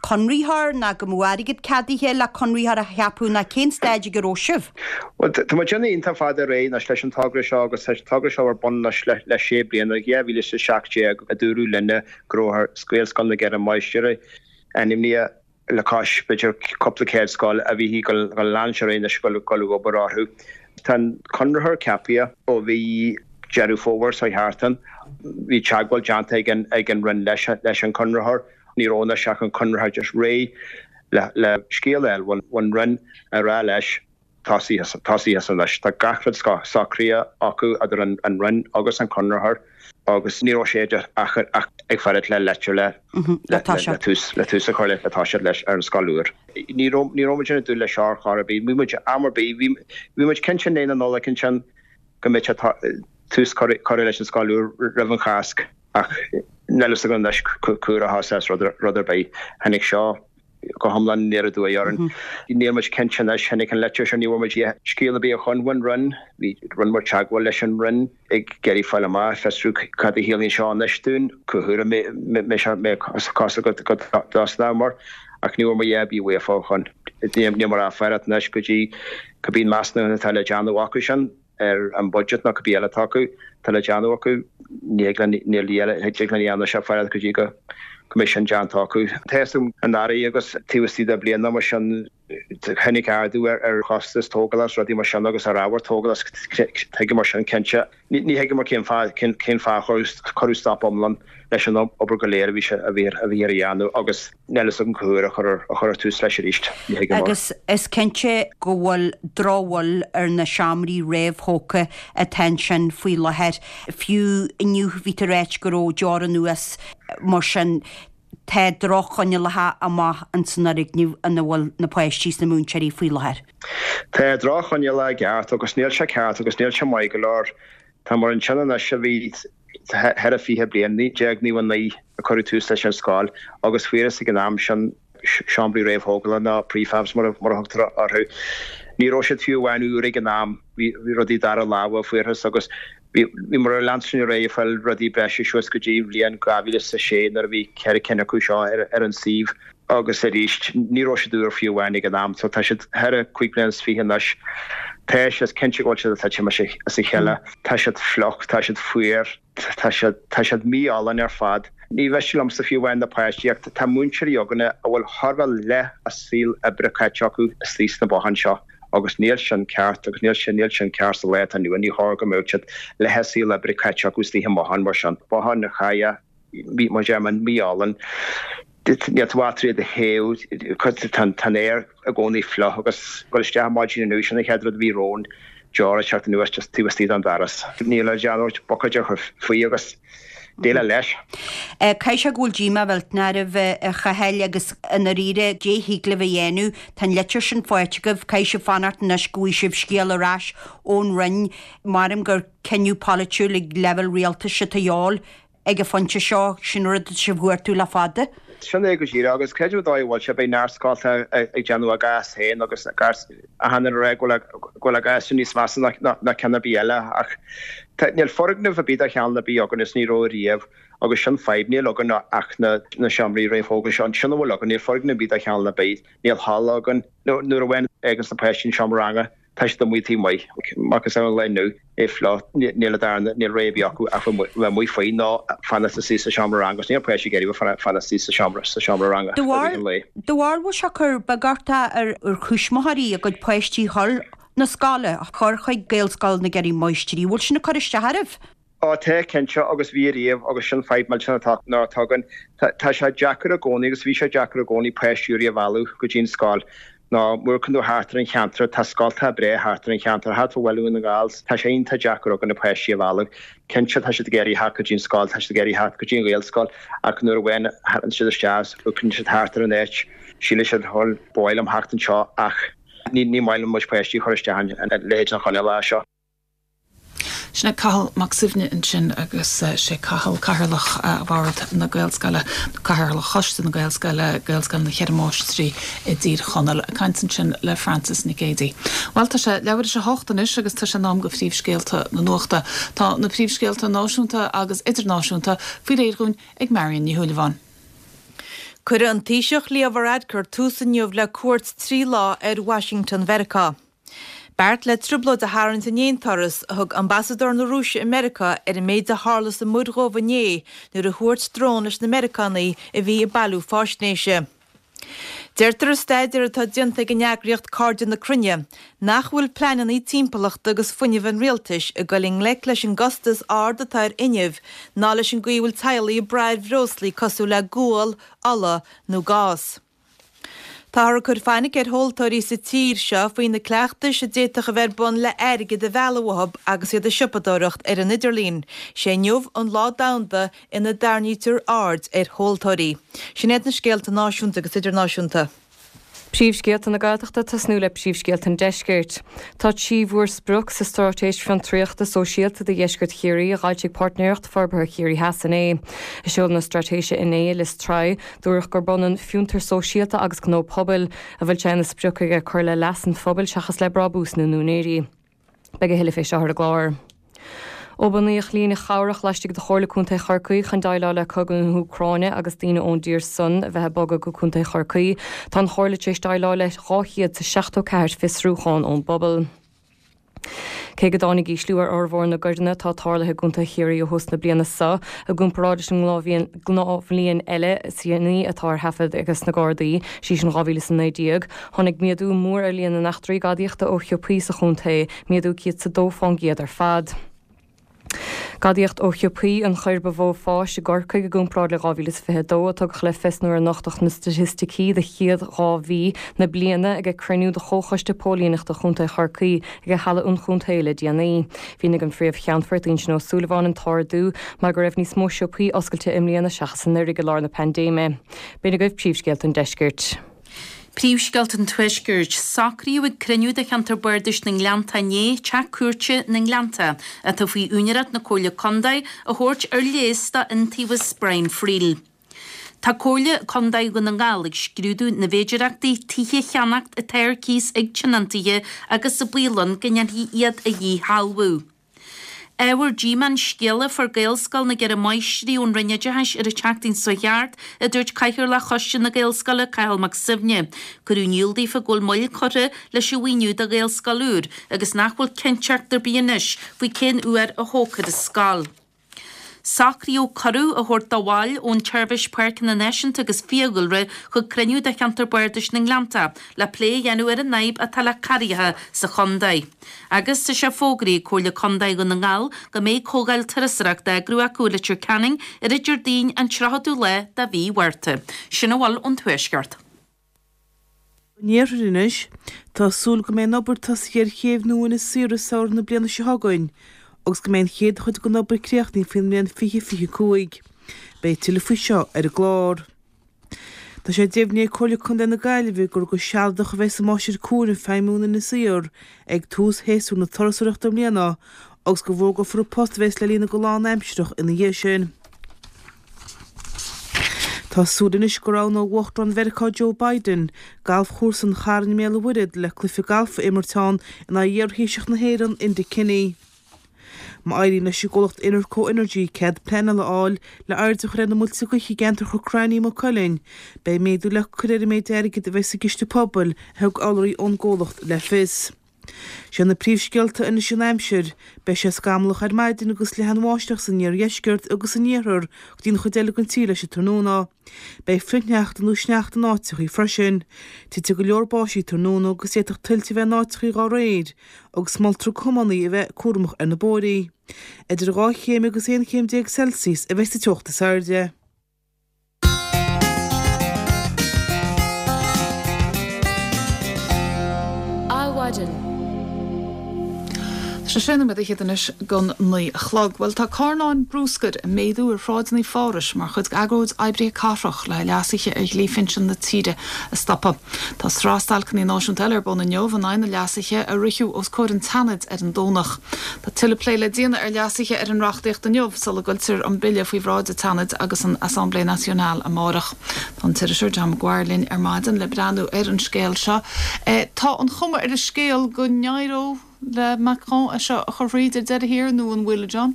conraitheoir ná go mbeadh airgead ceadaithe le conraitheoir a cheapadh ná cén staid ag a raibh sibh? Bhuel, tá muid iontach fada ar aghaidh anois leis an togra seo agus tá an togra seo ar bun anois le sé bliana, dhá mhíle is a seacht déag a dúradh linne go raibh Gaelscoil na gCeithre Máistrí ainmnithe le cois b'fhéidir cúpla céad scoil a bhí ag leanúint ar aghaidh anois ag dul ag obair orthu. Tá an conraitheoir ceaptha ó mhí Deireadh Fómhair seo thart ann. Bhí teagmháil déanta ag an ag an Roinn leis leis an conraitheoir. Ní raibh anois ach an conraitheoir just réidh le le scéal a fháil ón Roinn a rá leis tosaigh tosaigh anois. Tá gach rud socraithe acu idir an an Roinn agus an conraitheoir agus ní raibh sé ach ach ag fanacht le leitir le le le tús le tús a chur le le toiseacht leis ar an scoil úr. Ní raibh ní raibh muid ag dúil leis seo ar chor ar bith. Bhí muid am ar bith bhí bhí muid cinnte i ndiaidh na Nollag ansin go mbeadh sé tús curtha leis an scoil úr roimh an Cháisc ach níl a fhios againn anois cá huair a thosós rud ar bith. Tháinig seo go hiomlán aniar aduaidh orainn. Níl muid cinnte anois, tháinig an litir seo, ní bhfuair muid scéal ar bith ó shoin ón Roinn. Bhí, rinne muid teagmháil leis an Roinn ag iarraidh fáil amach, fiosrú cad a chiallaíonn seo anois dúinn, cá huair a mbeidh sé cosúil go dtosnómar ach ní bhfuair muid a dhath ar bith uafa ó shoin. Níl muid ach ag fanacht anois go dtí cibé measúnú atá le déanamh acu sin. ar an budget nó cibé eile atá acu, atá le déanamh acu, ní thig linn, níl a thig linn a dhéanamh ach fanacht go dtí go mbeidh sin déanta acu. Tá a fhios agam anuraidh agus taobh istigh de bhliain nó mar sin, tháinig ardú ar chostas tógála agus rudaí mar sin agus ar ábhar tógála agus thuigeamar sin cinnte. Ní thuigeamar cén fáth, cén fáth a cuireadh stop iomlán leis an obair go léir a bhí a bhí a bhí ar a dhéanamh agus níl a fhios agam cá huair a chuirfear a chuirfear tús leis arís. Ní thuigim. Agus is cinnte go bhfuil drochbhail ar na seomraí réamhthógtha atá ansin faoi láthair. Fiú inniu bhí tú ag ráit go raibh deora anuas mar sin tá droch-choinníollacha amach ins an fhoirgneamh ina bhfuil na páistí is na múinteoirí faoi láthair. Tá droch-choinníollacha i gceart agus níl sé ceart agus níl sé maith go leor. Tá muid ansin anois a bhí thar a fiche bliain, naoi déag nócha naoi a cuireadh tús leis an scoil agus fuarthas ag an am sin seomraí réamhthógála nó prefabs mar a thugtar orthu. Ní raibh siad fiú amháin úr ag an am, bhí rudaí dara láimhe a fuarthas agus bhí muid ag leanstan ar aghaidh ag fáil rudaí breise suas go dtí an bhliain dhá mhíle is a sé nuair a bhí ceithre cinn acu seo ar an suíomh. Agus arís, ní raibh siad úr fiú amháin ag an am, so tá siad thar a cúig bliana is fiche anois. Tá sé, is cinnte go bhfuil siad ag titim as a chéile. Tá siad fliuch, tá siad fuar, tá siad, tá siad mí-álainn ar fad. Ní mhiste liomsa fiú amháin na páistí ach tá múinteoirí againne a bhfuil chóir a bheith leath a saol oibre caite acu istigh sna botháin seo agus níl sin ceart agus níl sin, níl sin ceart sa lá atá inniu ann. Ní chóir go mbeadh siad leath a saol oibre caite acu istigh i mbotháin mar sin. Botháin na chaille. Mar a deirim, mí-álainn. Níl tú ábalta iad a théamh, tá an aer i gcónaí fliuch agus dul isteach ar maidin inniu, sin an chéad rud a bhí romhainn, deora ag teacht anuas just taobh istigh den doras. Níl le déanamh ach buicéid a chur faoi agus déileáil leis. Caithfidh sé go bhfuil díomá mhillteanach oraibh, a Chathail, agus i ndáiríre, caidé a thig libh a dhéanamh. Tá an litir sin faighte agaibh, caithfidh sibh fanacht anois go bhfaighidh sibh scéal ar ais ón Roinn. Maram gur cinneadh polaitiúil ag leibhéal rialtais atá de dhíobháil. Ag an phointe seo, sin rud atá sibh ag cuartú le fada. Sin é go díreach, agus creidim an dóigh a bhfuil sé, beidh neart scoltacha ag déanamh a gcás féin agus a gcás achan duine ag rá go bhfuil a gcás níos measa ná ceann ar bith eile ach níl foirgneamh ar bith de chineál ar bith againn is ní raibh riamh agus sin fadhb, níl againn ach na seomraí réamhthógtha seo, sin a bhfuil againn, níl foirgneamh ar bith de chineál ar bith, níl halla againn, nuair a bhfáganns na páistí an seomra ranga. Tá siad amuigh taobh amuigh, macasamhail an lae inniu, é fliuch, níl a darna, níl rogha ar bith acu ach bheith amuigh faoi ná fanacht istigh sa seomra ranga agus níl páistí ag iarraidh bheith fanacht istigh sa seomra, sa seomra ranga i rith an lae. Do bharúil bhfuil sé ag cur beaguchtach ar thuismitheoirí a gcuid páistí a chur 'na scoile, a chur chuig Gaelscoil na gCeithre Máistrí, bhfuil sin ag cur isteach oraibh? Á, tá, cinnte, agus bhí ariamh, agus sin fadhb millteanach atá, ná atá againn. Tá, tá sé deacair i gcónaí, agus bhí sé deacair i gcónaí páistí úra a mhealladh go dtí an scoil. Ná má amharcann tú thart ar an cheantar, tá scoltacha breá thart ar an cheantar, thart fá Bhaile Dhún na nGall, tá sé iontach deacair againn na páistí a mhealladh. Cinnte, tá siad ag iarraidh theacht go dtí an scoil, tá siad ag iarraidh theacht go dtí an Ghaelscoil, ach nuair a bhain, thagann siad isteach is amharcann siad thart ar an áit, síleann siad, bhuel, ba mhaith liom theacht anseo, ach ní, ní maith linn muid páistí a chur isteach in, in leithéid na coinníollacha seo. Sin é Cathal Mac Suibhne ansin agus sé Cathal Cathaoirleach Bhord na Gaelscoile, Cathaoirleach Choiste na Gaelscoile, Gaelscoil na Ceithre Máistrí i dTír Chonaill ag caint ansin le Frances Nic Géadaigh. Bhuel tá sé leathuair tar éis a hocht anois agus tá sé in am do phríomhscéalta na nuachta. Tá na príomhscéalta náisiúnta agus idirnáisiúnta faoi réir dúinn ag Marion Ní Shúilleabháin. Cuirfidh an Taoiseach Leo Varadkar tús inniu le cuairt trí lá ar Washington Mheiriceá. Beart le trioblóid a tharraingt in aon turas a thug ambasadóir na Rúise i Meiriceá ar an méid a tharla sa Mhuir Dhubh inné nuair a thuairt drón leis na Meiriceánaigh a bhí ag bailiú faisnéise. Deirtear i staidéar atá déanta ag an eagraíocht Cairde na Cruinne nach bhfuil pleananna timpeallachta agus fuinnimh an rialtais ag dul i ngleic leis an gcostas ard atá ar fhuinneamh ná leis an gcaoi a bhfuil teaghlaigh ag brath ar bhreoslaí cosúil le gual, ola nó gás. Táthar ag cur fainic ar thomhaltóirí sa tír seo faoi na cleachtais a d'fhéadfadh a bheith ar bun le airgead a mhealladh uathu agus iad ag siopadóireacht ar an idirlíon. Sé inniu an lá domhanda ina dtarraingítear aird ar thomhaltóirí. Sin iad na scéalta náisiúnta agus idirnáisiúnta. Príomhscéalta na Gaeltachta tosnú le príomhscéalta an Deiscirt. Tá trí mhórsprioc sa Straitéis Fiontraíochta Sóisialta do Dheisceart Chiarraí a d'fhoilsigh Páirtnéireacht Forbartha Chiarraí Theas inné. Ag seoladh na straitéise inné i Lios Tuathail, dúradh gurb ionann fiontar sóisialta agus gnó pobail, a bhfuil sé ina sprioc aige cur le leas an phobail seachas le brabús na n-úinéirí. Beidh a thuilleadh fé seo ar an gclár. Ó bunaíodh líne chabhrach laistigh de Chomhairle Contae Chorcaí chun déileáil le cogadh na hÚcráine agus daoine ón dtír san a bheith ag bogadh go Contae Chorcaí, tá an Chomhairle tar éis déileáil le dhá chéad is seachtó ceathair fiosrúchán ón bpobal. Cé go dtáinig ísliú ar fhormhór na gcoireanna atá tarlaithe i gContae Chiarraí ó thús na bliana seo, i gcomparáid leis an ngnáthbhliain eile is déanaí atá ar thaifead ag na Gardaí, sé sin dhá mhíle is a naoi déag, tháinig méadú mór ar líon na n-eachtraí gadaíochta ó shiopaí sa chontae, méadú céad is a dó fán gcéad ar fad. Gadaíocht ó shiopaí an choir ba mhó fáis i gCorcaigh i gcomparáid le dhá mhíle is fiche a dó, a tugadh le fios nuair a nochtadh na staitisticí do chéad dhá mhí na bliana ag cruinniú de Chomhchoiste Póilíneachta Chontae Chorcaí ag Halla an Chontae le déanaí. Mhínigh an Phríomh-Cheannfort Uinseann Ó Súilleabháin an t-ardú mar go raibh níos mó siopaí oscailte i mbliana seachas anuraidh i lár na paindéime. B'in agaibh príomhscéalta an deiscirt. Príomhscéalta an Tuaiscirt. Socraíodh ag cruinniú de Cheantar Bardais na nGleannta inné teach cúirte na nGleannta, atá faoi úinéireacht na Comhairle Contae, a thabhairt ar léas do Iontaobhas Brian Friel. Tá Comhairle Contae Dhún na nGall ag scrúdú na bhféidearthachtaí tithe a cheannacht atá ar cíos ag tionóntaithe agus an baol ann go ndéanfaí iad a dhíshealbhú. Ábhar díomá an scéala a fuair Gaelscoil na gCeithre Máistrí ón Roinn Oideachais ar an tseachtain seo thart, a dúirt Cathaoirleach Choiste na Gaelscoile, Cathal Mac Suibhne. Cuireadh in iúl daofa go bhfuil moill curtha leis an mhaoiniú do Ghaelscoil úr agus nach bhfuil cinnteacht ar bith anois faoi cén uair a thógfar an scoil. Socraíodh cuireadh a thabhairt do bhaill ón tSeirbhís Páirceanna Náisiúnta agus Fiadhúlra chuig cruinniú de Cheantar Bardais na nGleannta le plé a dhéanamh ar an fhadhb atá le carraigheacha sa chontae. Agus tá sé fógraithe ag Comhairle Contae Dhún na nGall go mbeidh comhdháil turasóireachta á eagrú acu i Leitir Ceanainn ar an Déardaoin an tríochadú lá de mhí Mhárta. Sin a bhfuil ón Tuaisceart. An Iarthair anois. Tá súil go mbeidh an obair tosaithe ar chéibh nua Inis Oírr i samhradh na bliana seo chugainn agus go mbeidh an chéad chuid den obair críochnaithe faoin mbliain fiche fiche cúig. Beidh tuilleadh faoi seo ar an gclár. Tá sé deimhnithe ag Comhairle Contae na Gaillimhe gur go sealadach a bheas an Máistir Cúraim ag feidhmiú in Inis Oírr ag tús shéasúr na turasóireachta i mbliana agus go bhfógrófar an post a bheas le líonadh go lánaimsearach ina dhiaidh sin. Tá súil anois go roghnóidh Uachtarán Mheiriceá Joe Biden galfchúrsa an Chairn i mBéal an Mhuirthead le cluiche gailf a imirt ann in aghaidh iarThaoiseach na hÉireann, Enda Kenny. Má éiríonn leis an gcomhlacht Inerco Energy cead pleanála a fháil le airde a chur ar na muilte gaoithe i gceantar Chnoc Raithní i Maigh Cuilinn, beidh méadú le cur ar an méid airgid a bheas sa gciste pobail, a thug urlabhraí ón gcomhlacht le fios. Sé na príomhscéalta anois an aimsir. Beidh sé scamallach ar maidin agus leathan-bháisteach san iardheisceart agus san iarthar go dtí an chuid eile den tír leis an tráthnóna. Beidh frithshneachta nó sneachta in áiteachaí freisin. Titfidh go leor báistí tráthnóna agus d'fhéadfadh tuilte a bheith in áiteachaí dhá réir, agus moltar do thiománaithe a bheith cúramach ar na bóithrí. Idir dhá chéim agus aon chéim déag Celsius a bheidh sa teocht is airde. Adhmhaidin. Tá sé sé nóiméad fhichead anois gon naoi a chlog. Bhuel tá carnáin brúscair ag méadú ar shráideanna Phárais mar chuid d'agóid oibrithe cathrach le leasuithe ar dhlí phinsean na tíre a stopadh. Tá sraith stailceanna náisiúnta eile ar bun inniu in aghaidh na leasuithe a ritheadh os comhair an tSeanaid ar an Domhnach. Tá tuilleadh plé le déanamh ar leasuithe ar an reachtaíocht inniu sula gcuirtear an bille faoi bhráid an tSeanaid agus an Assemblée Nationale amárach. Tá an t-iriseoir John Maguire linn ar maidin le breathnú ar an scéal seo. Tá an chuma ar an scéal go n-éireoidh le Macron é seo a chur fríd ar deireadh thiar nó an bhfuil John?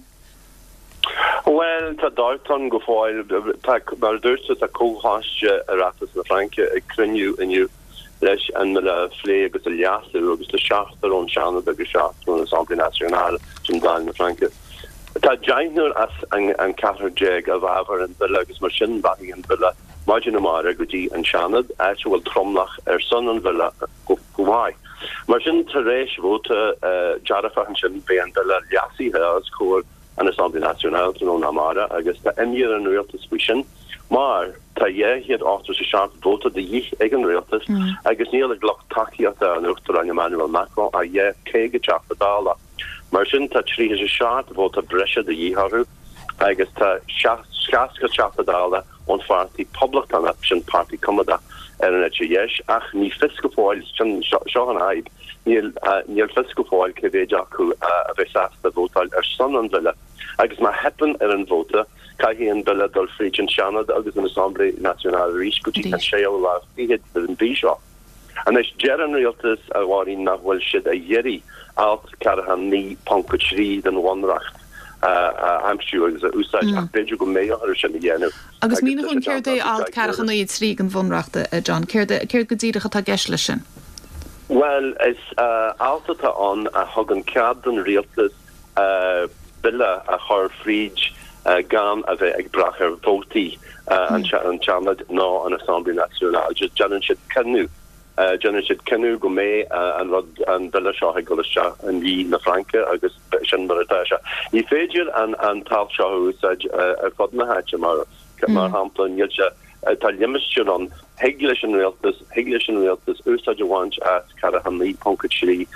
Bhuel, tá dabht ann go fóill. Tá, mar a dúirt tú, tá Comhchoiste Oireachtais na Fraince ag cruinniú inniu leis an mbille a phlé agus a leasú agus tá seachtar ón Seanad agus seachtar ón Assemblée Nationale, sin Dáil na Fraince. Tá deichniúr as an ceathrar déag i bhfabhar an bhille agus mar sin rachaidh an bille maidin amárach go dtí an Seanad, áit a bhfuil tromlach ar son an bhille go maith. Mar sin, tar éis vóta dearfach ansin, beidh an bille leasaithe os comhair an Assemblée Nationale tráthnóna amárach agus tá imní ar an rialtas faoi sin mar tá dhá chéad ochtó is a seacht vóta de dhíth ag an rialtas agus níl ag lucht tacaíochta an Uachtaráin Emmanuel Macron ach dhá caoga Teachta Dála. Mar sin, tá tríocha is a seacht vóta breise de dhíth orthu agus tá seasca Teachta Dála ón Pháirtí Poblachtánach, sin páirtí coimeádach ar an eite dheis, ach ní fios go fóill, sin, seo an fhadhb, níl, níl fios go fóill cé mhéid acu a bheidh sásta vótáil ar son an bhille. Agus má theipeann ar an vóta, caithfidh an bille dul fríd an Seanad agus an Assemblée Nationale arís go dtí an séú lá fichead den mhí seo. Anois, deir an rialtas, a Mháirín, nach bhfuil siad ag iarraidh alt ceathracha naoi ponc a trí den Bhunreacht a aimsiú agus a úsáid ach b'fhéidir go mbeidh orthu sin a dhéanamh. Agus mínigh dúinn céard é alt ceathracha naoi a trí den Bhunreacht, a John? Céard, céard go díreach atá i gceist leis sin? Bhuel, is alt atá ann a thugann cead don rialtas bille a chur fríd gan a bheith ag brath ar vótaí an tSeanaid ná an Assemblée Nationale. Just déanann siad cinneadh, déanann siad cinneadh go mbeidh an rud, an bille seo ag dul isteach i ndlí na Fraince agus sin mar atá sé. Ní féidir an an t-alt seo a úsáid ar fud na háite mar, mar shampla, níl sé, tá limistéar ann, thig leis an rialtas, thig leis an rialtas úsáid a bhaint as ceathracha naoi ponc a trí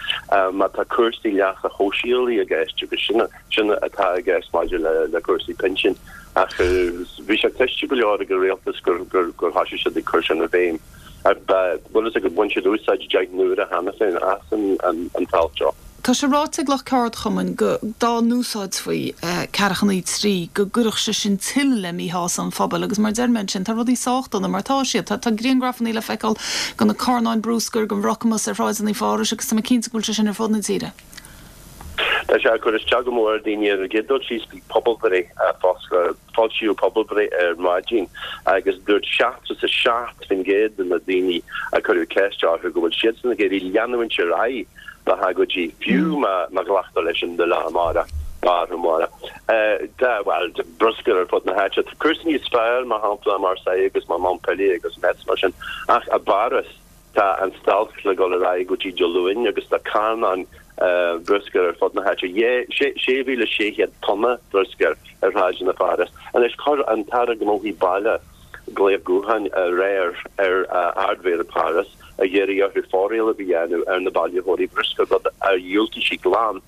má tá cúrsaí leasa shóisialaigh i gceist agus sin, sin atá i gceist maidir le, le cúrsaí pinsin. Ach bhí sé cliste go leor ag an rialtas gur, gur, gur thoisigh siad ag cur sin i bhfeidhm. Bhfuil fhios agat, bhain siad úsáid deich n-uaire cheana féin as an, an t-alt seo. Tá sé ráite ag lucht ceardchumainn go dá n-úsáidfí ceathracha naoi trí go gcuirfeadh sé sin tuilleadh le míshásamh an phobail agus mar a deir mé ansin tá rudaí sách dona mar atá siad. Tá grianghrafanna le feiceáil de na carnáin brúscair, den bhrocamas ar shráideanna Phárais agus tá mé cinnte go bhfuil sé sin ar fud na tíre. Tá sé ag cur isteach go mór ar dhaoine. Ar an gcéad dul síos bhí pobalbhreith foilsíodh pobalbhreith ar maidin agus dúirt seachtó is a seacht faoin gcéad de na daoine a cuireadh ceist orthu go bhfuil siadsan ag iarraidh leanúint ar aghaidh le hagóidí, fiú má ghlactar leis an mbille amárach, amárach. Tá, bhuel, bruscar ar fud na háite. Tá cúrsaí níos fearr, mar shampla, i Marseille agus mar Montpellier agus Metz mar sin, ach i bPáras tá an stailc le dul ar aghaidh go dtí Dé Luain agus tá carnáin bruscair ar fud na háite. sé mhíle sé chéad tonna bruscair ar shráideanna Pháras. Anois, chuir an tAire Gnóthaí Baile glaoch gutháin aréir ar Ardmhéara Pháras ag iarraidh orthu foréileamh a dhéanamh ar na bailitheoirí bruscair, rud a dhiúltaigh sí glan.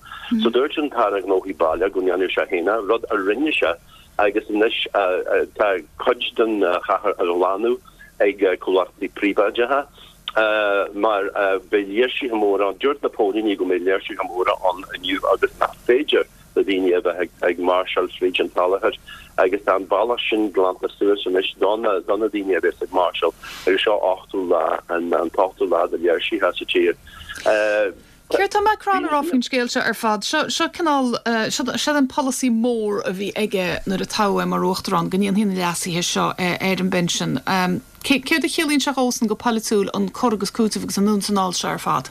So dúirt an tAire Gnóthaí Baile go ndéanfadh sé féin é, rud a rinne sé, agus anois tá cuid den chathair á ghlanadh ag comhlachtaí príobháideacha mar beidh léirsithe móra ann. Dúirt na póilíní go mbeidh léirsithe móra ann inniu agus nach féidir le daoine a bheith ag máirseáil fríd an tsalachar agus tá an bealach sin glanta suas anois do na daoine a bheas ag máirseáil agus seo ochtú lá, an t-ochtú lá de léirsithe sa tír. Céard tá Macron a rá faoin scéal seo ar fad? Seo, seo cineál, seo, seo an polasaí mór a bhí aige nuair a toghadh é mar uachtarán, go ndéanfaí na leasuithe seo ar an bpinsean. Céard a chiallaíonn sé dhósan go polaitiúil, an cur agus cúiteamh agus an anonn is anall seo ar fad?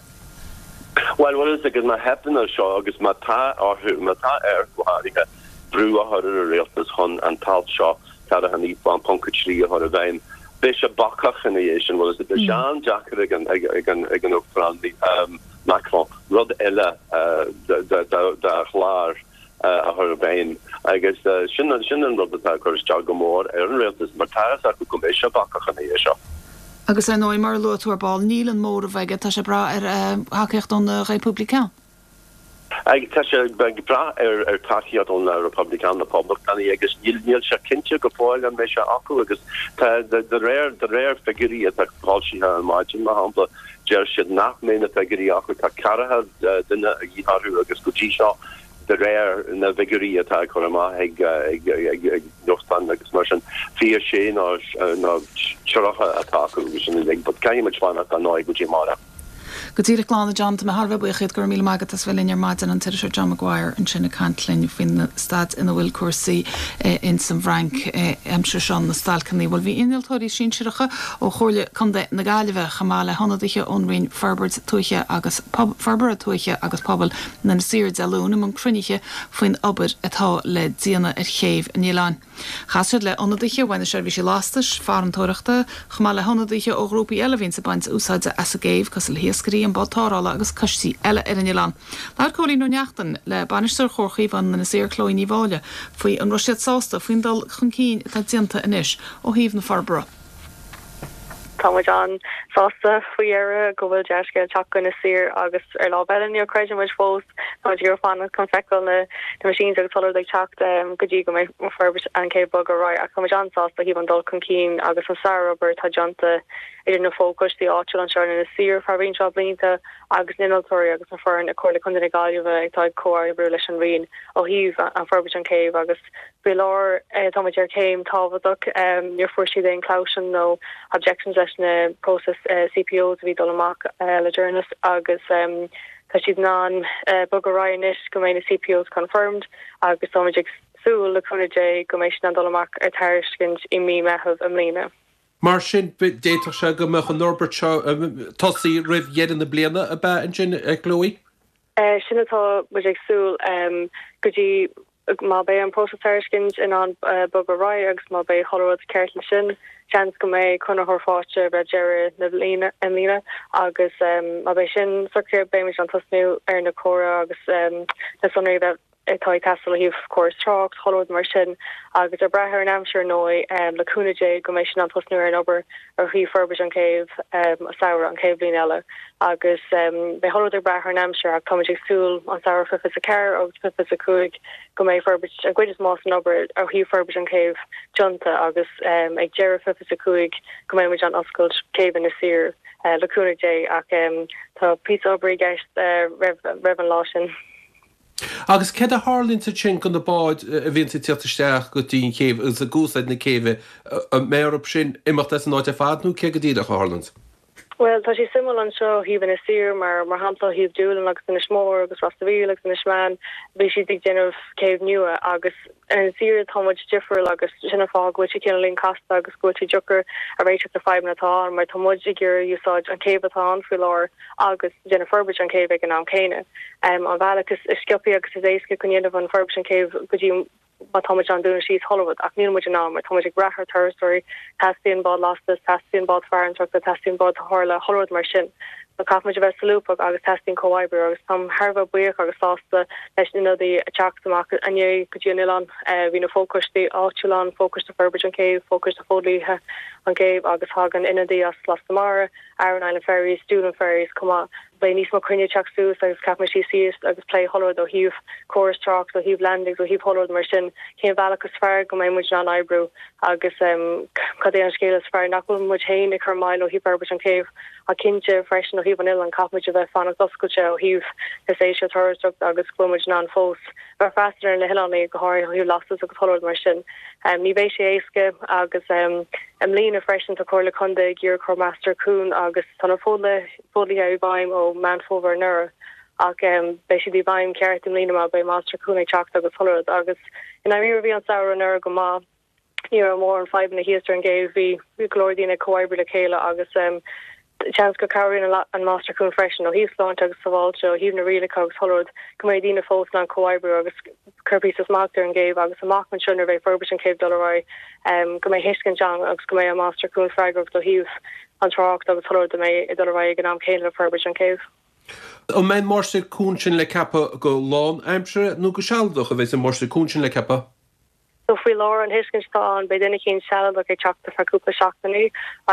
Bhuel, bhfuil fhios agat, má theipeann air seo agus má tá orthu, má tá air go háirithe, brú a chur ar an rialtas chun an t-alt seo, ceathracha naoi ponc a trí, a chur i bhfeidhm, beidh sé bacach ina dhiaidh sin, bhfuil fhios agat. Beidh sé an-deacair ag an, ag an, ag an Uachtarán Macron rud eile dá chlár a chur i bhfeidhm agus sin, sin an rud atá ag cur isteach go mór ar an rialtas mar tá fhios acu go mbeidh sé bacach ina dhiaidh seo. Agus ar ndóigh, mar a luaigh tú ar ball, níl an móramh aige, tá sé ag brath ar thacaíocht ó na Républicains. Tá sé ag brath ar ar tacaíocht ó na Republican na Poblachtánaigh agus níl níl sé cinnte go fóill an mbeidh sé acu agus tá de de réir de réir figiúirí atá foilsithe ar maidin mar shampla deir siad nach mbeidh na figiúirí acu tá ceathracha duine a dhíth orthu agus go dtí seo de réir na bhfigiúirí atá curtha amach ag ag ag ag nuachtáin agus mar sin fiche sé nó nó tríocha atá acu agus sin uilig but caithfidh muid fanacht ar ndóigh go dtí amárach. Go díreach glan a John, tá mé thar a bheith buíoch díot, go raibh míle maith agat as bheith linn ar maidin, an t-iriseoir John Maguire ansin ag caint linn faoin staid ina bhfuil cúrsaí ins an bhFrainc aimsir seo na stailceanna. Bhuel bhí innealtóirí sinsearacha ó Chomhairle Contae na Gaillimhe chomh maith le hionadaithe ón Roinn Forbairt Tuaithe agus Forbartha Tuaithe agus Pobail in Inis Oírr Dé Luain i mbun cruinnithe faoin obair atá le déanamh ar chéibh an oileáin. Chas siad le hionadaithe ó na seirbhísí lastais, farantóireachta, chomh maith le hionadaithe ó ghrúpaí eile a bhíonns ag baint úsáide as an gcéibh, cosúil le hiascairí, an bád tarrthála agus coistí eile ar an oileán. Labhair Cóilín Ó Neachtain le bainisteoir Chomhar Chaomhán Inis Oírr Chloe Ní Mháille faoi an raibh siad sásta faoin dul chun cinn atá déanta anois ó thaobh na forbartha. Tá muid an-sásta faoi dheireadh go bhfuil dea-scéal ag teacht go Inis Oírr agus ar lámh eile níor chreid muid fós tá muid ag iarraidh fanacht chun feiceáil na na machines agus chuile rud ag teacht go dtí go mbeidh forbairt an chéibh ag bogadh ar aghaidh ach tá muid an-sásta ó thaobh an dul chun cinn agus an sárobair atá déanta idir na fochoistí áitiúil anseo in Inis Oírr feadh roinnt mhaith blianta agus na innealtóirí agus na foireann i Comhairle Contae na Gaillimhe atá ag comhoibriú leis an Roinn ó thaobh an forbairt an chéibh agus faoi láthair tá muid ar chéim tábhachtach níor fuair siad aon clausion nó objections leis na process CPOs a bhí dul amach le deireanas agus tá siad in ann bogadh ar aghaidh anois go mbeidh na CPOs confirmed agus tá muid ag súil le cúnamh Dé go mbeidh siad in ann dul amach ar tairiscint i mí Meitheamh i mbliana. Mar sin d'fhéadfadh sé go mbeadh an fhorbairt seo tosaithe roimh dheireadh na bliana ab ea ansin a Chloe? Sin atá muid ag súil go dtí má beidh an próiseas tairiscint in ann bogadh ar aghaidh agus má beidh chuile rud ceart leis sin, seans go mbeidh conraitheoir faighte roimh deireadh na bliana i mbliana agus má beidh sin socraithe beimid in ann tosnú ar na comhrá agus na sonraí a bheith atá ag teastáil ó thaobh córas trácht, chuile rud mar sin agus ag brath ar an aimsir ar ndóigh, le cúnamh Dé go mbeidh siad in ann tosnú ar an obair ar thaobh forbairt an chéibh samhradh an chéad bhliain eile agus beidh chuile rud ag brath ar an aimsir ach táimid ag súil an samhradh fiche is a ceathair agus fiche is a cúig go mbeidh forbairt an gcuid is mó den obair ó thaobh forbairt an chéibh déanta agus ag deireadh fiche is a cúig go mbeidh muid in ann oscailt céibh Inis Oírr le cúnamh Dé ach tá píosa obair i gceist roimh an lá sin. Agus céard a tharlaíonn ansin do na báid a bhíonns ag tíocht isteach go dtí an chéibh agus ag úsáid na céibhe, an mbeidh orthu sin imeacht as an áit ar fad nó cé go díreach a tharlaíonns? Bhuel, tá sé suimiúil anseo ó thaobh Inis Oírr mar, mar shampla, ó thaobh Doolin agus Inis Mór agus Ros a' Mhíl agus Inis Meáin, bhí siad ag déanamh céibh nua agus in Inis Oírr tá muid difriúil agus sin an fáth go bhfuil sé cineáilín casta agus go bhfuil sé deacair a réiteach na fadhbanna atá ann mar tá muid ag iarraidh úsáid an chéibh atá ann faoi láthair agus déanamh forbairt an chéibh ag an am céanna. An bealach is sciobtha agus is éasca chun dhéanamh an forbairt an chéibh go dtí má tá muid in ann dúnadh síos chuile rud ach níl muid in ann mar tá muid ag brath ar turasóirí, teastaíonn bád lastais, teastaíonn bád farantóireachta, teastaíonn bád tarrthála, chuile rud mar sin. So caithfidh muid a bheith solúbtha agus teastaíonn comhoibriú agus táim thar a bheith buíoch agus sásta leis na hionadaithe a teacht amach inné go dtí an oileán. Bhí na fochoistí áitiúla ann, fochoiste forbairt an chéibh, fochoiste Fódlaithe an chéibh agus thug an ionadaí as Lasta Mara, Aran Island Ferries, Doolin Ferries chomh maith. Beidh níos mó cruinnithe ag teacht suas agus caithfidh muid suí síos agus plé chuile rud ó thaobh córas trácht, ó thaobh landings, ó thaobh chuile rud mar sin, cén bealach is fearr go mbeidh muid in ann oibriú agus cad é an scéal is fearr nach bhfuil muid féin ag cur moill ó thaobh forbairt an chéibh ach cinnte freisin ó thaobh an oileáin caithfidh muid a bheith fanacht oscailte ó thaobh na séasúr turasóireachta agus go bhfuil muid in ann fós bheith freastal ar na hoileánaigh go háirithe ó thaobh lastas agus chuile rud mar sin. Ní bheidh sé éasca agus i mbliana freisin tá Comhairle Contae ag iarraidh cur Máistir Cuain agus tá na fodhlíthe i bhfeidhm ó Meán Fómhair anuraidh ach beidh siad i bhfeidhm ceart i mbliana má beidh Máistir Cuain ag teacht agus chuile rud agus i ndáiríre bhí an samhradh anuraidh go maith. Ní raibh mórán fadhbanna thíos ar an gcéibh, bhí go leor daoine ag comhoibriú le chéile agus seans go cabhraíonn an Máistir Cuan freisin ó thaobh sláinte agus sábháilte, ó thaobh na rialacha agus chuile rud, go mbeidh daoine fós in ann comhoibriú agus cur píosa smacht ar an gcéibh agus amach anseo nuair a bheidh forbairt an chéibh dul ar aghaidh go mbeidh thuiscint ann agus go mbeidh an Máistir Cuan freagrach ó thaobh an trácht agus chuile rud a mbeidh ag dul ar aghaidh ag an am céanna le forbairt an chéibh. An mbeidh an Máistir Cuain sin le ceapadh go lánaimseartha nó go sealadach a bheidh an Máistir Cuain sin le ceapadh? So faoi láthair an thuiscint atá ann beidh duine éicint sealadach ag teacht ar feadh cúpla seachtainí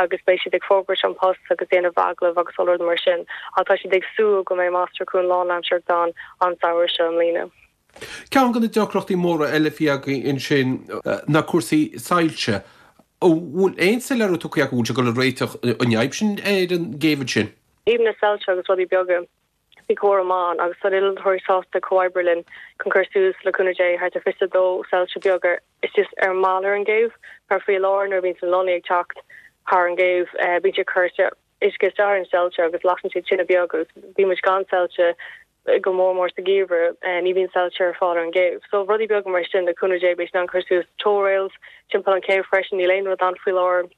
agus beidh siad ag forbairt an post agus déanamh agallamh agus all rud mar sin ach tá siad ag súil go mbeidh máistir cuain lánaimseartha ann an samhradh seo i mbliana. Ceann de na deacrachtaí móra eile a bhí againn ansin ná cúrsaí soilse. An bhfuil aon soiléiriú tugtha acu an bhfuil sé ag dul a réiteach an fhadhb sin ar an gcéibh ansin? Thaobh na soilse agus rudaí beaga, bhí comhrá maith ann agus tá na hinnealtóirí sásta comhoibriú linn chun cur suas le cúnamh Dé thart ar fiche dó soilse beag ar is ar an mballa ar an gcéibh mar faoi láthair nuair a bhíonn na lonnaí ag teacht thar an gcéibh bíonn siad ag cur uisce isteach ar an soilse agus lasann siad tine beag agus bíonn muid gan soilse go mór mór sa gheimhreadh ní bhíonn soilse ar fáil ar an gcéibh. So rudaí beaga mar sin le cúnamh Dé beidh siad in ann cur suas tow rails timpeall an chéibh freisin níl aon rud ann faoi láthair.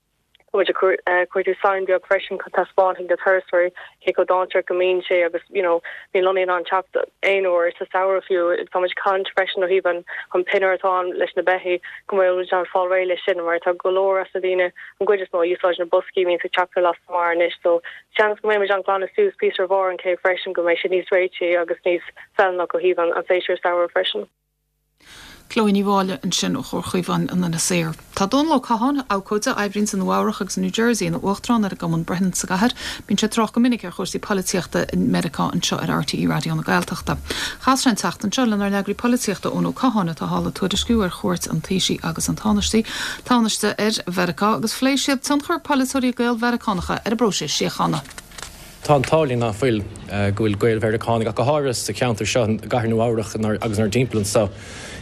Tá muid ag cuartú sign beag freisin chun taispeáint do thurasóirí cé chomh dainséarach go mbíonn sé agus you know bíonn lonnaí in ann teacht aon uair sa samhradh fiú. Tá muid ag caint freisin ó thaobh an an pianóir atá ann leis na beithígh go bhfuil muid in ann fáil réidh leis sin mar tá go leor as na daoine an gcuid is mó a úsáideann na boscaí a bhíonns ag teacht ar lasta mara anois so seans go mbeidh muid in ann glanadh suas píosa ar bharr an chéibh freisin go mbeidh sé níos réití agus níos feiliúnach ó thaobh an an séasúr samhradh freisin. Chloe Ní Mháille ansin ó Chomhar Chaomháin in Inis Oírr. Tá Dónal Ó Catháin, abhcóide, a oibríonns i Nua Eabhrach agus i New Jersey ina uachtarán ar an gCumann Breitheanna sa gcathair. Bíonn sé ag trácht go minic ar chúrsaí polaitíochta i Meiriceá anseo ar RTÉ Raidió na Gaeltachta. Chas sé an tseachtain seo lenár n-eagraí polaitíochta Eoin Ó Catháin atá thall ag tuairisciú ar chuairt an Taoisigh agus an Tánaiste Tánaiste ar Mheiriceá agus phléigh siad tionchar polaiteoirí Gael-Mheiriceánacha ar an bpróiseas síochána. Tá an t-ádh linn ná fuil go bhfuil Gael-Mheiriceánaigh ach go háirithe sa cheantar seo i gcathair Nua Eabhrach agus inár dtimpeall anseo.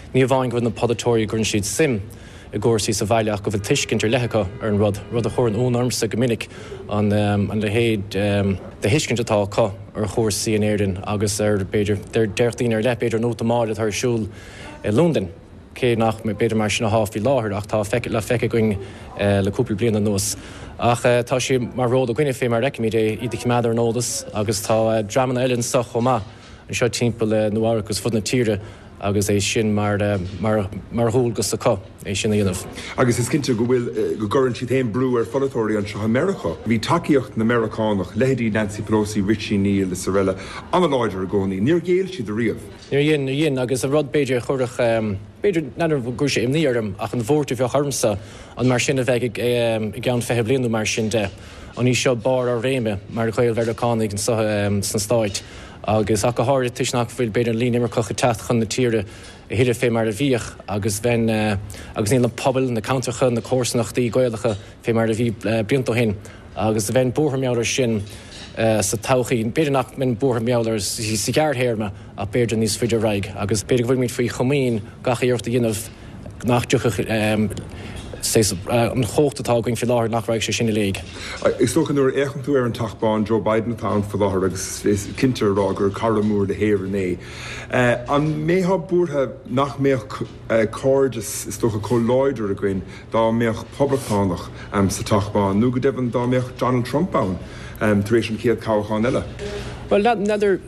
Ní amháin go bhfuil na polaiteoirí go gcuireann siad suim i gcúrsaí sa bhaile ach go bhfuil tuiscint ar leith acu ar an rud, rud a chuireann ionadh ormsa go minic an an leithéid de thuiscint atá acu ar chúrsaí in Éirinn agus ar b'fhéidir déarfadh daoine ar leith b'fhéidir an útamáil atá ar siúl i Londain, cé nach b'fhéidir mar sin atá faoi láthair ach tá le feiceáil againn le cúpla bliain anuas. Ach tá sé mar ról againne fé mar a fheicimid é iad a choimeád ar an eolas agus tá dreamanna eile anseo chomh maith anseo timpeall Nua Eabhrac agus fud na tíre agus é sin mar mar mar dhualgas acu é sin a dhéanamh. Agus is cinnte go bhfuil go gcuireann siad féin brú ar pholaiteoirí anseo i Meiriceá. Bhí tacaíocht na Meiriceánach, leithéidí Nancy Pelosi, Richie Neal is araile, an-láidir i gcónaí. Níor ghéill siad ariamh. Níor dhein, níor dhein, agus an rud b'fhéidir a chuirfeadh, b'fhéidir, n'fheadar an gcuirfeadh sé imní orm ach an bhuairt a bheadh ormsa an mar sin a bheidh i gceann fiche bliain nó mar sin de. An í seo barr ár réime mar Ghael-Mheiriceánaigh anseo sna Stáit agus ach go háirithe toisc nach bhfuil b'fhéidir an líon imirceach ag teacht chun na tíre a thuilleadh fé mar a bhíodh agus bheinn agus níl na pobail, na ceantracha, na comharsanachtaí Gaelacha fé mar a bhí blianta ó shin agus bheinn buartha mar gheall air sin sa todhchaí. B'fhéidir nach mbeinn buartha mar gheall air sa ghearrthéarma ach b'fhéidir níos faide ar aghaidh agus b'fhéidir go bhfuilimid faoi chomaoin gach iarracht a dhéanamh nach dtiocfadh an chumhacht atá againn faoi láthair, nach raghadh sé sin i léig. Is dócha nuair a fhéachann tú ar an Teach Bán, Joe Biden atá ann faoi láthair agus is cinnte a rá gur cara mór le hÉirinn é. An mbeifeá buartha nach mbeadh cairdeas is dócha chomh láidir againn dá mbeadh poblachtánach sa Teach Bán nó go deimhin dá mbeadh Donald Trump ann tar éis an chéad toghchán eile? Bhuel, n'fheadar,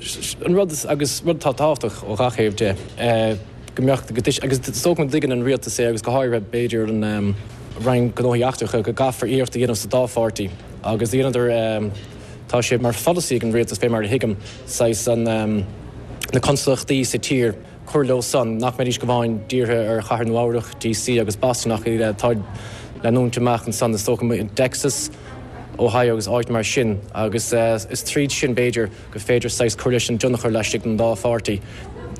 an rud agus rud atá tábhachtach ó gach thaobh de, go mbeadh, go dtuis, agus is dócha go dtuigeann an rialtas é agus go háirithe b'fhéidir an Roinn Gnóthaí Eachtracha go gcaithfear iarracht a dhéanamh sa dá pháirtí agus dheineadar, tá sé mar pholasaí ag an rialtas fé mar a thuigim, saghas an, na consalachtaí sa tír, cur leo san, nach mbeidís go amháin dírithe ar chathair Nua Eabhrach, DC agus Boston ach atá ag leanúint amach ansan is dócha i dTexas, Ohio agus áit mar sin agus is tríd sin b'fhéidir gur féidir saghas cur leis an dtionchar laistigh den dá pháirtí.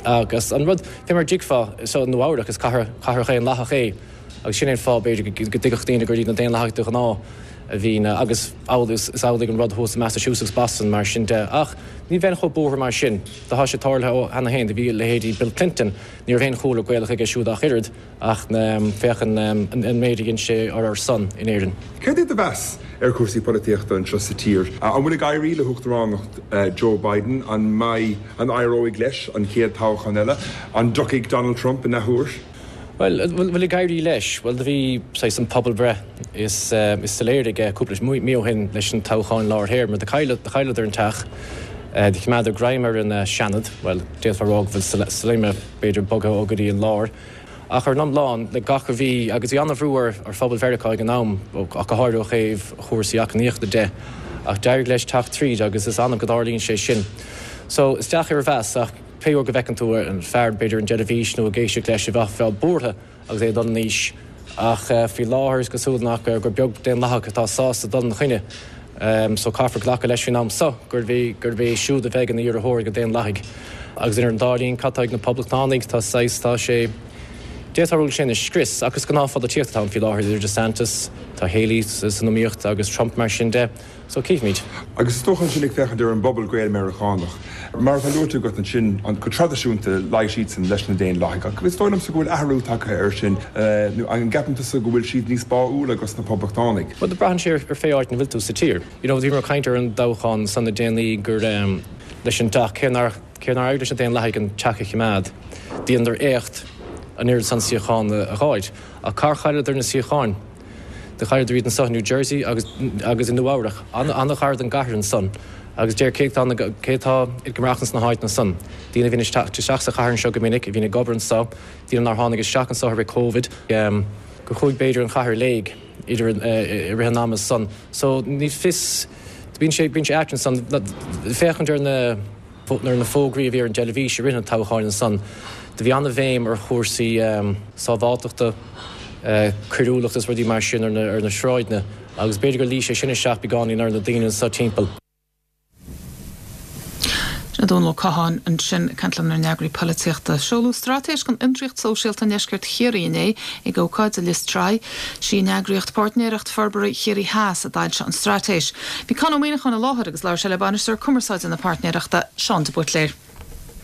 Agus an rud, fé mar a dtuigfeá, so Nua Eabhrac, is cathair, cathair dhaonlathach é agus sin é an fáth, b'fhéidir, go dtuigfeadh daoine gur iad na Daonlathaigh de ghnáth a bhíonn, agus amhlaidh, is amhlaidh an rud thuas i Massachusetts, Boston, mar sin de. Ach ní bheinn chomh buartha mar sin. Tá sé tarlaithe ó cheana féin, do bhí leithéidí Bill Clinton, ní raibh aon chúlra Gaelach aige siúd ach oiread, ach féach an méid a dhein sé ar ár son in Éirinn. Céard é do mheas ar chúrsaí polaitíochta anseo sa tír? An bhfuil ag éirí le huachtaránacht Joe Biden? An mbeidh, an éireoidh leis an chéad toghchán eile? An dtiocfaidh Donald Trump in athuair? Bhuel, an bhfuil ag éirí leis? Bhuel, do bhí saghas an pobalbhreith is is soiléire aige cúpla mí ó shin leis an toghchán lár théarma. Do chailleadar an teach, do choimeádar greim ar an Seanad, bhuel, d'fhéadfá a rá go bhfuil Sinema b'fhéidir bogtha ó go dtí an lár. Ach ar an iomlán, le gach a bhí, agus bhí an-bhrú ar ar phobal Mheiriceá ag an am, ach go háirithe ó thaobh chúrsaí eacnamaíochta de, ach d'éirigh leis teacht tríd agus is annamh go dtarlaíonn sé sin. So, is deacair a mheas, ach. Pé uair go bhfeiceann tú an fear b'fhéidir ar an dteilifís nó ag éisteacht leis bheifeá buartha agus é ag dul in aois. Ach faoi láthair is cosúil nach gur beag Daonlathach atá sásta dul ina choinne. So caithfear glacadh leis faoin am so gurb é gurb é siúd a bheidh ina iarrthóir ag na Daonlathaigh. Agus idir an dá linn cad tá ag na Poblachtánaigh tá saghas tá sé d'fhéadfá a rá go bhfuil sé ina scrios ach is gnáthpholaitíocht atá ann faoi láthair idir DeSantis, tá Haley san iomaíocht agus Trump mar sin de. So cífimid. Agus is dócha ansin ag féachaint ar an bpobal Gael-Meiriceánach, mar atá luaite agat ansin, go traidisiúnta luigh siadsan leis na Daonlathaigh, ach is dóigh liomsa go bhfuil athrú tagtha air sin, nó an gceapann tusa go bhfuil siad níos báúla dos na Poblachtánaigh? Bhuel, braitheann sé ar pé áit ina bhfuil tú sa tír. You know, bhíomar ag caint ar an dtoghchán san le déanaí gur leis an dteach, cé nár, cé nár éirigh leis na Daonlathaigh an teach a choimeád, dheineadar éacht an oiread san suíochán a dh'fháilt. Ach cár chailleadar na suíocháin? Do chailleadar iad anso i New Jersey agus agus i Nua Eabhrach, an-ghar don gcathair ansan. Agus deir cé atá cé atá ag maireachtaint sna háiteanna san? Daoine a bhíonn ag teacht isteach sa chathair anseo go minic, a bhíonn ag obair anso, daoine nár tháinig isteach anso i rith Covid, gur chuaigh b'fhéidir an chathair i léig idir i rith an ama san. So ní fios, bíonn sé bíonn sé ait ansan féachaint ar na ar na fógraí a bhí ar an dteilifís i rith an toghcháin ansan, do bhí an-bhéim ar chúrsaí sábháilteachta, coiriúlacht is rudaí mar sin ar na sráideanna agus b'fhéidir gur luigh sé sin isteach beagáinín ar na daoine anso timpeall. Sin Dónal Ó Catháin ansin ag caint lenár n-eagraí polaitíochta. Seoladh Straitéis don Fhiontraíocht Sóisialta i nDeisceart Chiarraí inné ag ócáid i Lios Tuathail. Sí an eagraíocht Páirtnéireacht Forbartha Chiarraí Theas a d'fhoilsigh an straitéis. Bhí Conn Ó Muíneacháin i láthair agus labhair sé le Bainisteoir Cumarsáide na Páirtnéireachta, Seán de Buitléir.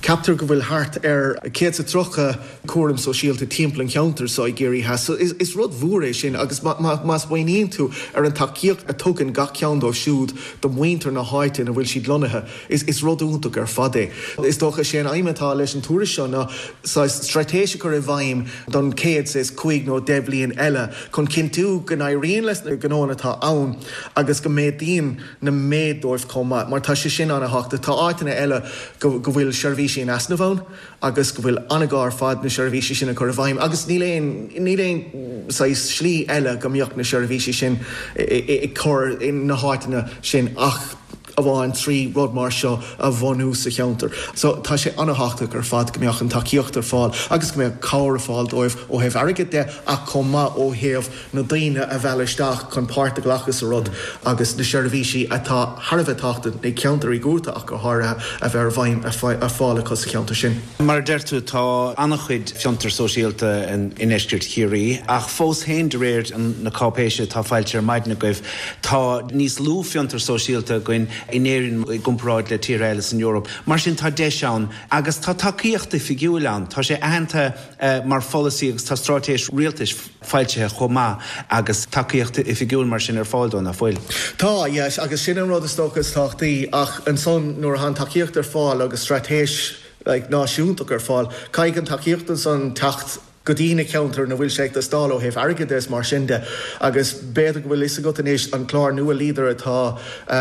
Ceaptar go bhfuil thart ar céad is a tríocha cúram sóisialta timpeall an cheantair seo i gCiarraí Theas. So is rud mhór é sin agus má smaoiníonn tú ar an tacaíocht a tugann gach ceann dóibh siúd do mhuintir na háite ina bhfuil siad lonnaithe, is rud iontach ar fad é. Is dócha sé an aidhm atá leis an tuairisc seo ná saghas straitéis a chur i bhfeidhm don chéad saghas cúig nó deich bhliain eile chun cinntiú go n-éiríonn leis na gnóanna atá ann agus go méadaíonn na méid dóibh chomh maith mar tá sé sin an-thábhachtach. Tá áiteanna eile go go bhfuil seirbhísí in easnamh ann agus go bhfuil an-ghá ar fad na seirbhísí sin a chur i bhfeidhm agus níl aon níl aon saghas slí eile go mbeadh na seirbhísí sin ag cur in na háiteanna sin ach amháin trí rud mar seo a bhunú sa cheantar. So tá sé an-thábhachtach ar fad go mbeadh an tacaíocht ar fáil agus go mbeadh cabhair ar fáil dóibh ó thaobh airgid de ach chomh maith ó thaobh na daoine a mhealladh isteach chun páirt a ghlacadh sa rud agus na seirbhísí atá thar a bheith tábhachtach i gceantar iargúlta ach go háirithe a bheith ar bhfeidhm ar fáil acu sa cheantar sin. Mar a deir tú, tá an-chuid fiontar sóisialta i ndeisceart Chiarraí, ach fós féin, de réir na cáipéise atá foilsithe ar maidin agaibh, tá níos lú fiontar sóisialta againn in Éirinn i gcomparáid le tíortha eile san Eoraip. Mar sin, tá deis ann agus tá tacaíocht oifigiúil ann. Tá sé aitheanta mar pholasaí agus tá straitéis rialtais foilsithe chomh maith agus tacaíocht oifigiúil mar sin ar fáil dó, nach bhfuil? Tá, yes, agus sin an rud is dócha is tábhachtaí ach ansan nuair atá an tacaíocht ar fáil agus straitéis like náisiúntach ar fáil, caithfidh an tacaíocht ansan teacht go dtí na ceantair ina bhfuil sé ag teastáil ó thaobh airgid de is mar sin de agus b'fhéidir go bhfuil fhios agat anois an clár nua Leader atá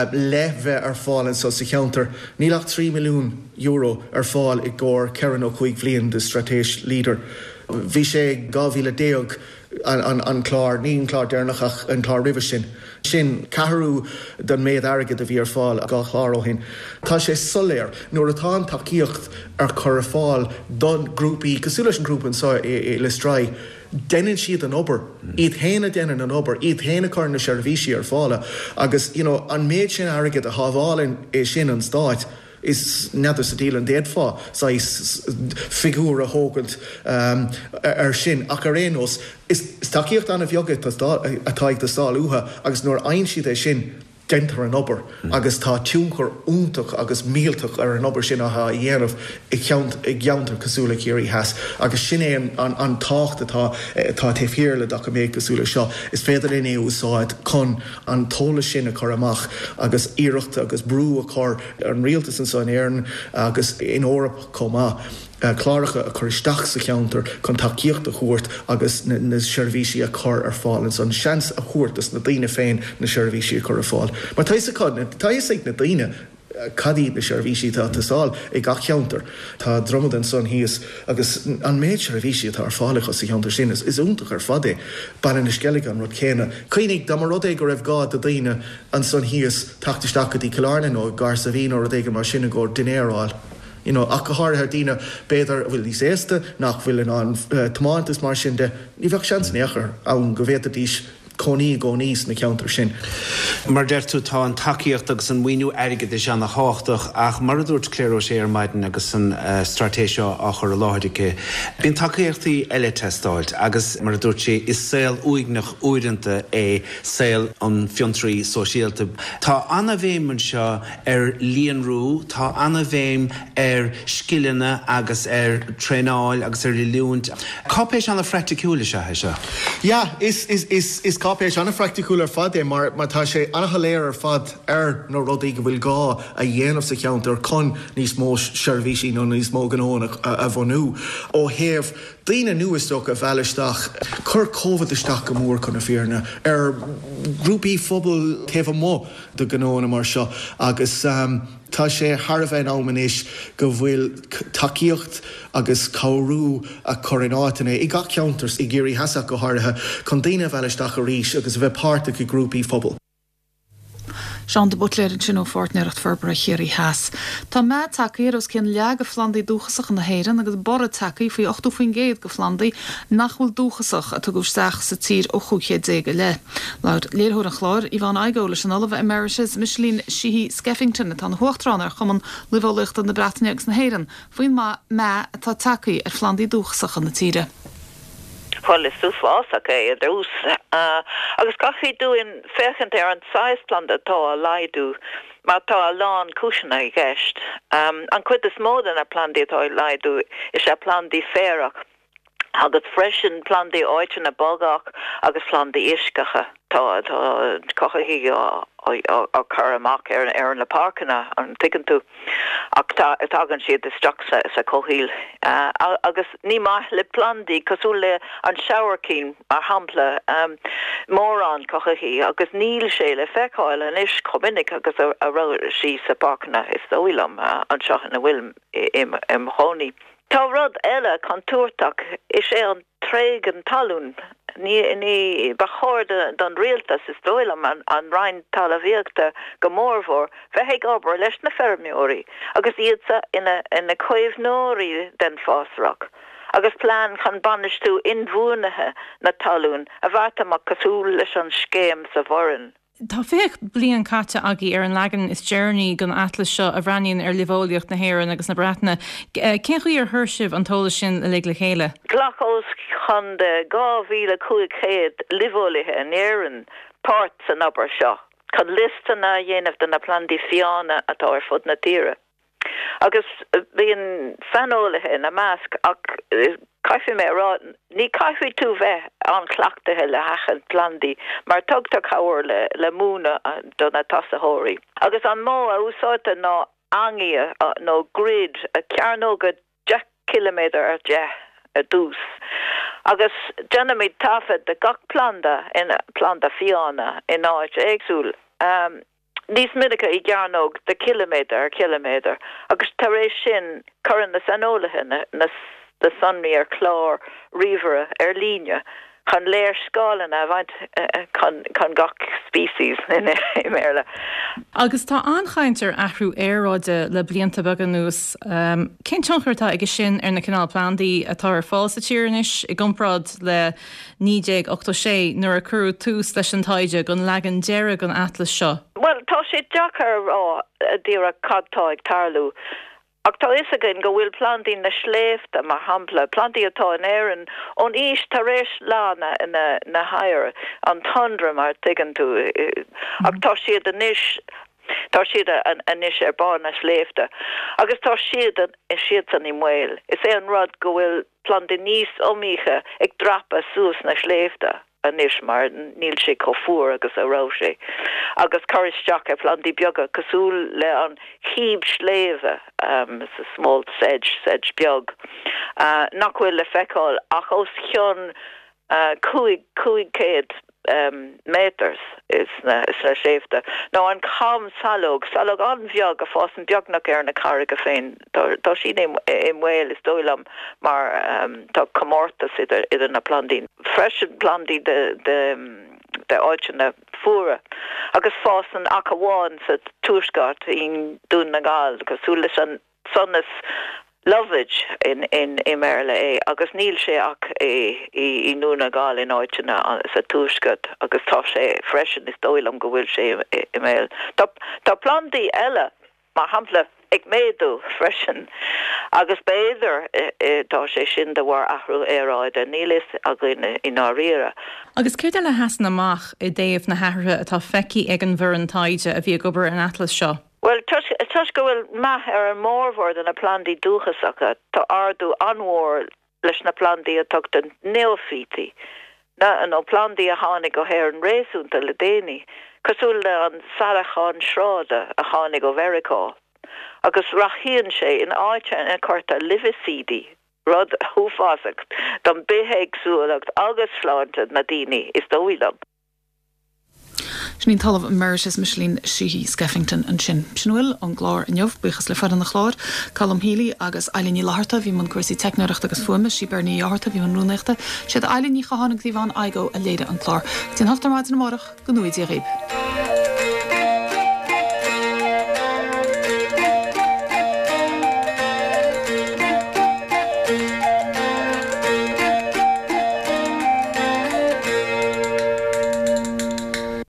le bheith ar fáil anso sa cheantar, níl ach trí milliún euro ar fáil i gcomhair ceithre nó cúig bhliain de straitéis Leader. Bhí sé dhá mhíle déag an an clár, ní an clár deireanach ach an clár roimhe sin. Sin ceathrú den méid airgid a bhí ar fáil dhá chlár ó shin. Tá sé soiléir, nuair atá an tacaíocht ar cur ar fáil do grúpaí cosúil leis an ghrúpa anseo i Lios Drai, deineann siad an obair, iad féin a deineann an obair, iad féin a chuireann na seirbhísí ar fáil agus you know an méid sin airgid a shábhálann é sin an Stáit, Is n'fheadar sa diabhal an bhféadfá saghas figiúr a thógaint air sin ach ar aon nós is tacaíocht an-bheag atá ag teastáil uathu agus nuair a fhaigheann siad é sin deintear an obair agus tá tionchar iontach agus millteach ar an obair sin atá á dhéanamh i gceantar cosúil le Ciarraí Theas agus sin é an tábhacht atá atá taobh thiar le doiciméad cosúil le seo. Is féidir linn é a úsáid chun an t-eolas sin a chur amach agus iarracht agus brú a chur ar an rialtas anseo in Éirinn agus in Eoraip chomh maith, cláracha a chur isteach sa cheantar chun tacaíocht a thabhairt agus na seirbhísí a chur ar fáil ansan, seans a thabhairt dos na daoine féin na seirbhísí a chur ar fáil. Mar tá fhios acu, tá fhios ag na daoine cad iad na seirbhísí atá ag teastáil i gach ceantar. Tá Dromaid ansan thíos agus an méid seirbhísí atá ar fáil acu sa cheantar sin, is iontach ar fad é. Baile na Sceilge an rud céanna. Cuimhnigh, dá mba rud é go raibh gá do daoine ansan thíos teacht isteach go dtí Cill Airne nó Garbhán nó rud éigin mar sin i gcomhair dinnéar a fháil, You know, ach go háirithe daoine b'fhéidir a bhfuil níos aosta nach bhfuil in ann tiomáint is mar sin de, ní bheadh seans in aon chor ann go bhféadfaidís cónaí i gcónaí sna ceantair sin. Mar a deir tú, tá an tacaíocht agus an maoiniú airgeadais ana-thábhachtach ach mar a dúirt Claire O'Shea ar maidin agus an straitéis seo á chur i láthair aici, bíonn tacaíochtaí eile ag teastáilt agus mar a dúirt sí, is saol uaigneach uaireanta é saol an fhiontraí sóisialta. Tá ana-bhéim anseo ar líonrú, tá ana-bhéim ar scileanna agus ar traenáil agus ar oiliúint. Cáipéis ana-phraiticiúil is ea é seo. Yeah, is, is, is, is cáipéis an-phraiticiúil ar fad é mar mar tá sé an-shoiléir ar fad ar na rudaí go bhfuil gá a dhéanamh sa cheantar chun níos mó seirbhísí nó níos mó gnóanna a bhunú. Ó thaobh daoine nua is dócha a mhealladh isteach, chuir Covid isteach go mór chun na fírinne ar ghrúpaí phobail taobh amuigh de ghnóanna mar seo agus tá sé thar a bheith in am anois go bhfuil tacaíocht agus cabhrú a chur in áiteanna i gach ceantar, i gCiarraí Theas ach go háirithe, chun daoine a mhealladh isteach arís agus a bheith páirteach i grúpaí phobail. Seán de Buitléir ansin ó Pháirtnéireacht Forbartha Chiarraí Theas. Tá meath tagtha ar os cionn leath de phlandaí dúchasacha na hÉireann agus borradh tagtha faoi ochtó faoin gcéad de phlandaí nach bhfuil dúchasach a tugadh isteach sa tír ó chúig chéad déag i leith. Labhair léiritheoir an chláir, Yvonne Igoe, leis an Ollamh Emeritus Micheline Sheehy Skeffington atá ina huachtarán ar Chumann Luibheolaíochta na Breataine agus na hÉireann faoin meath atá tagtha ar phlandaí dúchasacha na tíre. Bhuel, is uafásach é i dtús agus caithfidh dúinn féachaint ar an saghas planda atá á laghdú mar tá a lán cúiseanna i gceist. An chuid is mó de na plandaí atá ag laghdú is ea plandaí féarach agus freisin plandaí áiteanna bogach agus plandaí uisceacha. Tá tá cothaithigh á á cur amach ar ar na páirceanna, an dtuigeann tú, ach tá tagann siad isteach sa sa chomhshaol agus ní maith le plandaí cosúil le an sabhaircín mar shampla mórán cothaithigh agus níl sé le feiceáil anois chomh minic agus a a raibh sí sa páirceanna is dóigh liom anseo ina bhfuil im chónaí. Tá rud eile contúirteach, is é an tréigean talún. Ní, ní, ba chóir don rialtas, is dóigh liom, an Roinn Talmhaíochta go mórmhór, bheith ag obair leis na feirmeoirí agus iadsa ina, ina caomhnóirí den fásrach, agus plean chun bainistiú inbhuanaithe na talún a bheart amach cosúil leis an scéim sa Bhoireann. Tá fiche bliain caite agaibh ar an leagan is deireanaí den atlas seo a bhreathnaíonn ar luibheolaíocht na hÉireann agus na Breataine. Cén chaoi ar chuir sibh an t-eolas sin uilig le chéile? Ghlac os cionn de dhá mhíle cúig chéad luibheolaithe in Éirinn páirt san obair seo chun liostanna a dhéanamh de na plandaí fiáine atá ar fud na tíre. Agus bíonn saineolaithe ina measc ach caithfidh mé a rá, ní caithfidh tú bheith an-chleachtaithe le haithint plandaí mar tugtar cabhair le le múineadh do na tosaitheoirí. Agus an modh a úsáidtear ná eangaí nó grid, cearnóga deich ciliméadar ar deich ar dtús. Agus déanaimid taifead de gach planda in planda fiáine in áit éagsúil. Níos minice i gcearnóg de chiliméadar ar chiliméadar, agus tar éis sin cuireann na saineolaithe na sonraí ar chlár ríomhaire ar líne chun léarscáileanna a bhaint chun gach species i mBéarla. Agus tá an-chaint ar athrú aeráide le blianta beaga anuas. Cén tionchar atá aige sin ar na cineál plandaí atá ar fáil sa tír anois i gcomparáid le naoi déag ochtó sé nuair a cuireadh tús leis an taighde don leagan deiridh den atlas seo? Bhuel, tá sé deacair a rá díreach cad tá ag tarlú. Ach tá fhios againn go bhfuil plandaí na sléibhte, mar shampla, plandaí atá in Éirinn ón aois tar éis leá na na hoighir, an tundra mar a tuigeann tú, ach tá siad anois, tá siad anois ar barr na sléibhte agus tá siad, siadsan i mbaol. Is é an rud go bhfuil plandaí níos iomaíche ag dreapadh suas na sléibhte anois mar níl sé chomh fuar agus a raibh sé agus cur isteach ar phlandaí beaga cosúil le an chíb sléibhe, small sedge, sedge beag, nach bhfuil le feiceáil ach os cionn cúig cúig chéad méadar sna sléibhte, nó an chamshalóg, salóg an-bheag a fásann beagnach ar na carraige féin. Tá sí i mbaol is dóigh liom mar tá comórtas idir na plandaí. Freisin plandaí de áiteanna fuara agus fásann ach amháin sa tuaisceart i nDún na nGall, cosúil leis an Sonas Lovage in in i mBéarla é agus níl sé ach i i i nDún na nGall in áiteanna sa tuaisceart agus tá sé freisin is dóigh liom go bhfuil sé i mbaol. Tá tá plandaí eile mar shampla ag méadú freisin agus b'fhéidir tá sé sin de bharr athrú aeráide, níl fhios againn i ndáiríre. Agus céard eile a sheasann amach i dtaobh na hathruithe atá feicthe ag an bhfoireann taighde a bhí ag obair ar an atlas seo? Bhuel, toisc go bhfuil meath ar an mórmhór de na plandaí dúchasacha, tá ardú an-mhór leis na plandaí a tugtar neoifítí, nó plandaí a tháinig go hÉirinn réasúnta le déanaí, cosúil le an saileachán sráide a tháinig ó Mheiriceá, agus rathaíonn sé in áiteanna ina cuirtear luibhicídí, rud uafásach don bithéagsúlacht agus sláinte na daoine, is dóigh liom. Sin í an tOllamh Emeritus Micheline Sheehy Skeffington ansin. Sin a bhfuil ón gclár inniu, buíochas le foireann an chláir, Colm Healy agus Eilín Ní Fhlatharta, a bhí i mbun cúrsaí teicneoireachta agus fuaime, sí Bernie Ní Fhátharta a bhí i mbun rúnaíochta, siad Eilín Ní Chatháin agus Yvonne Igoe a léirigh an clár. Go dtí an hocht ar maidin amárach, go ngnóthaí Dia dhaoibh.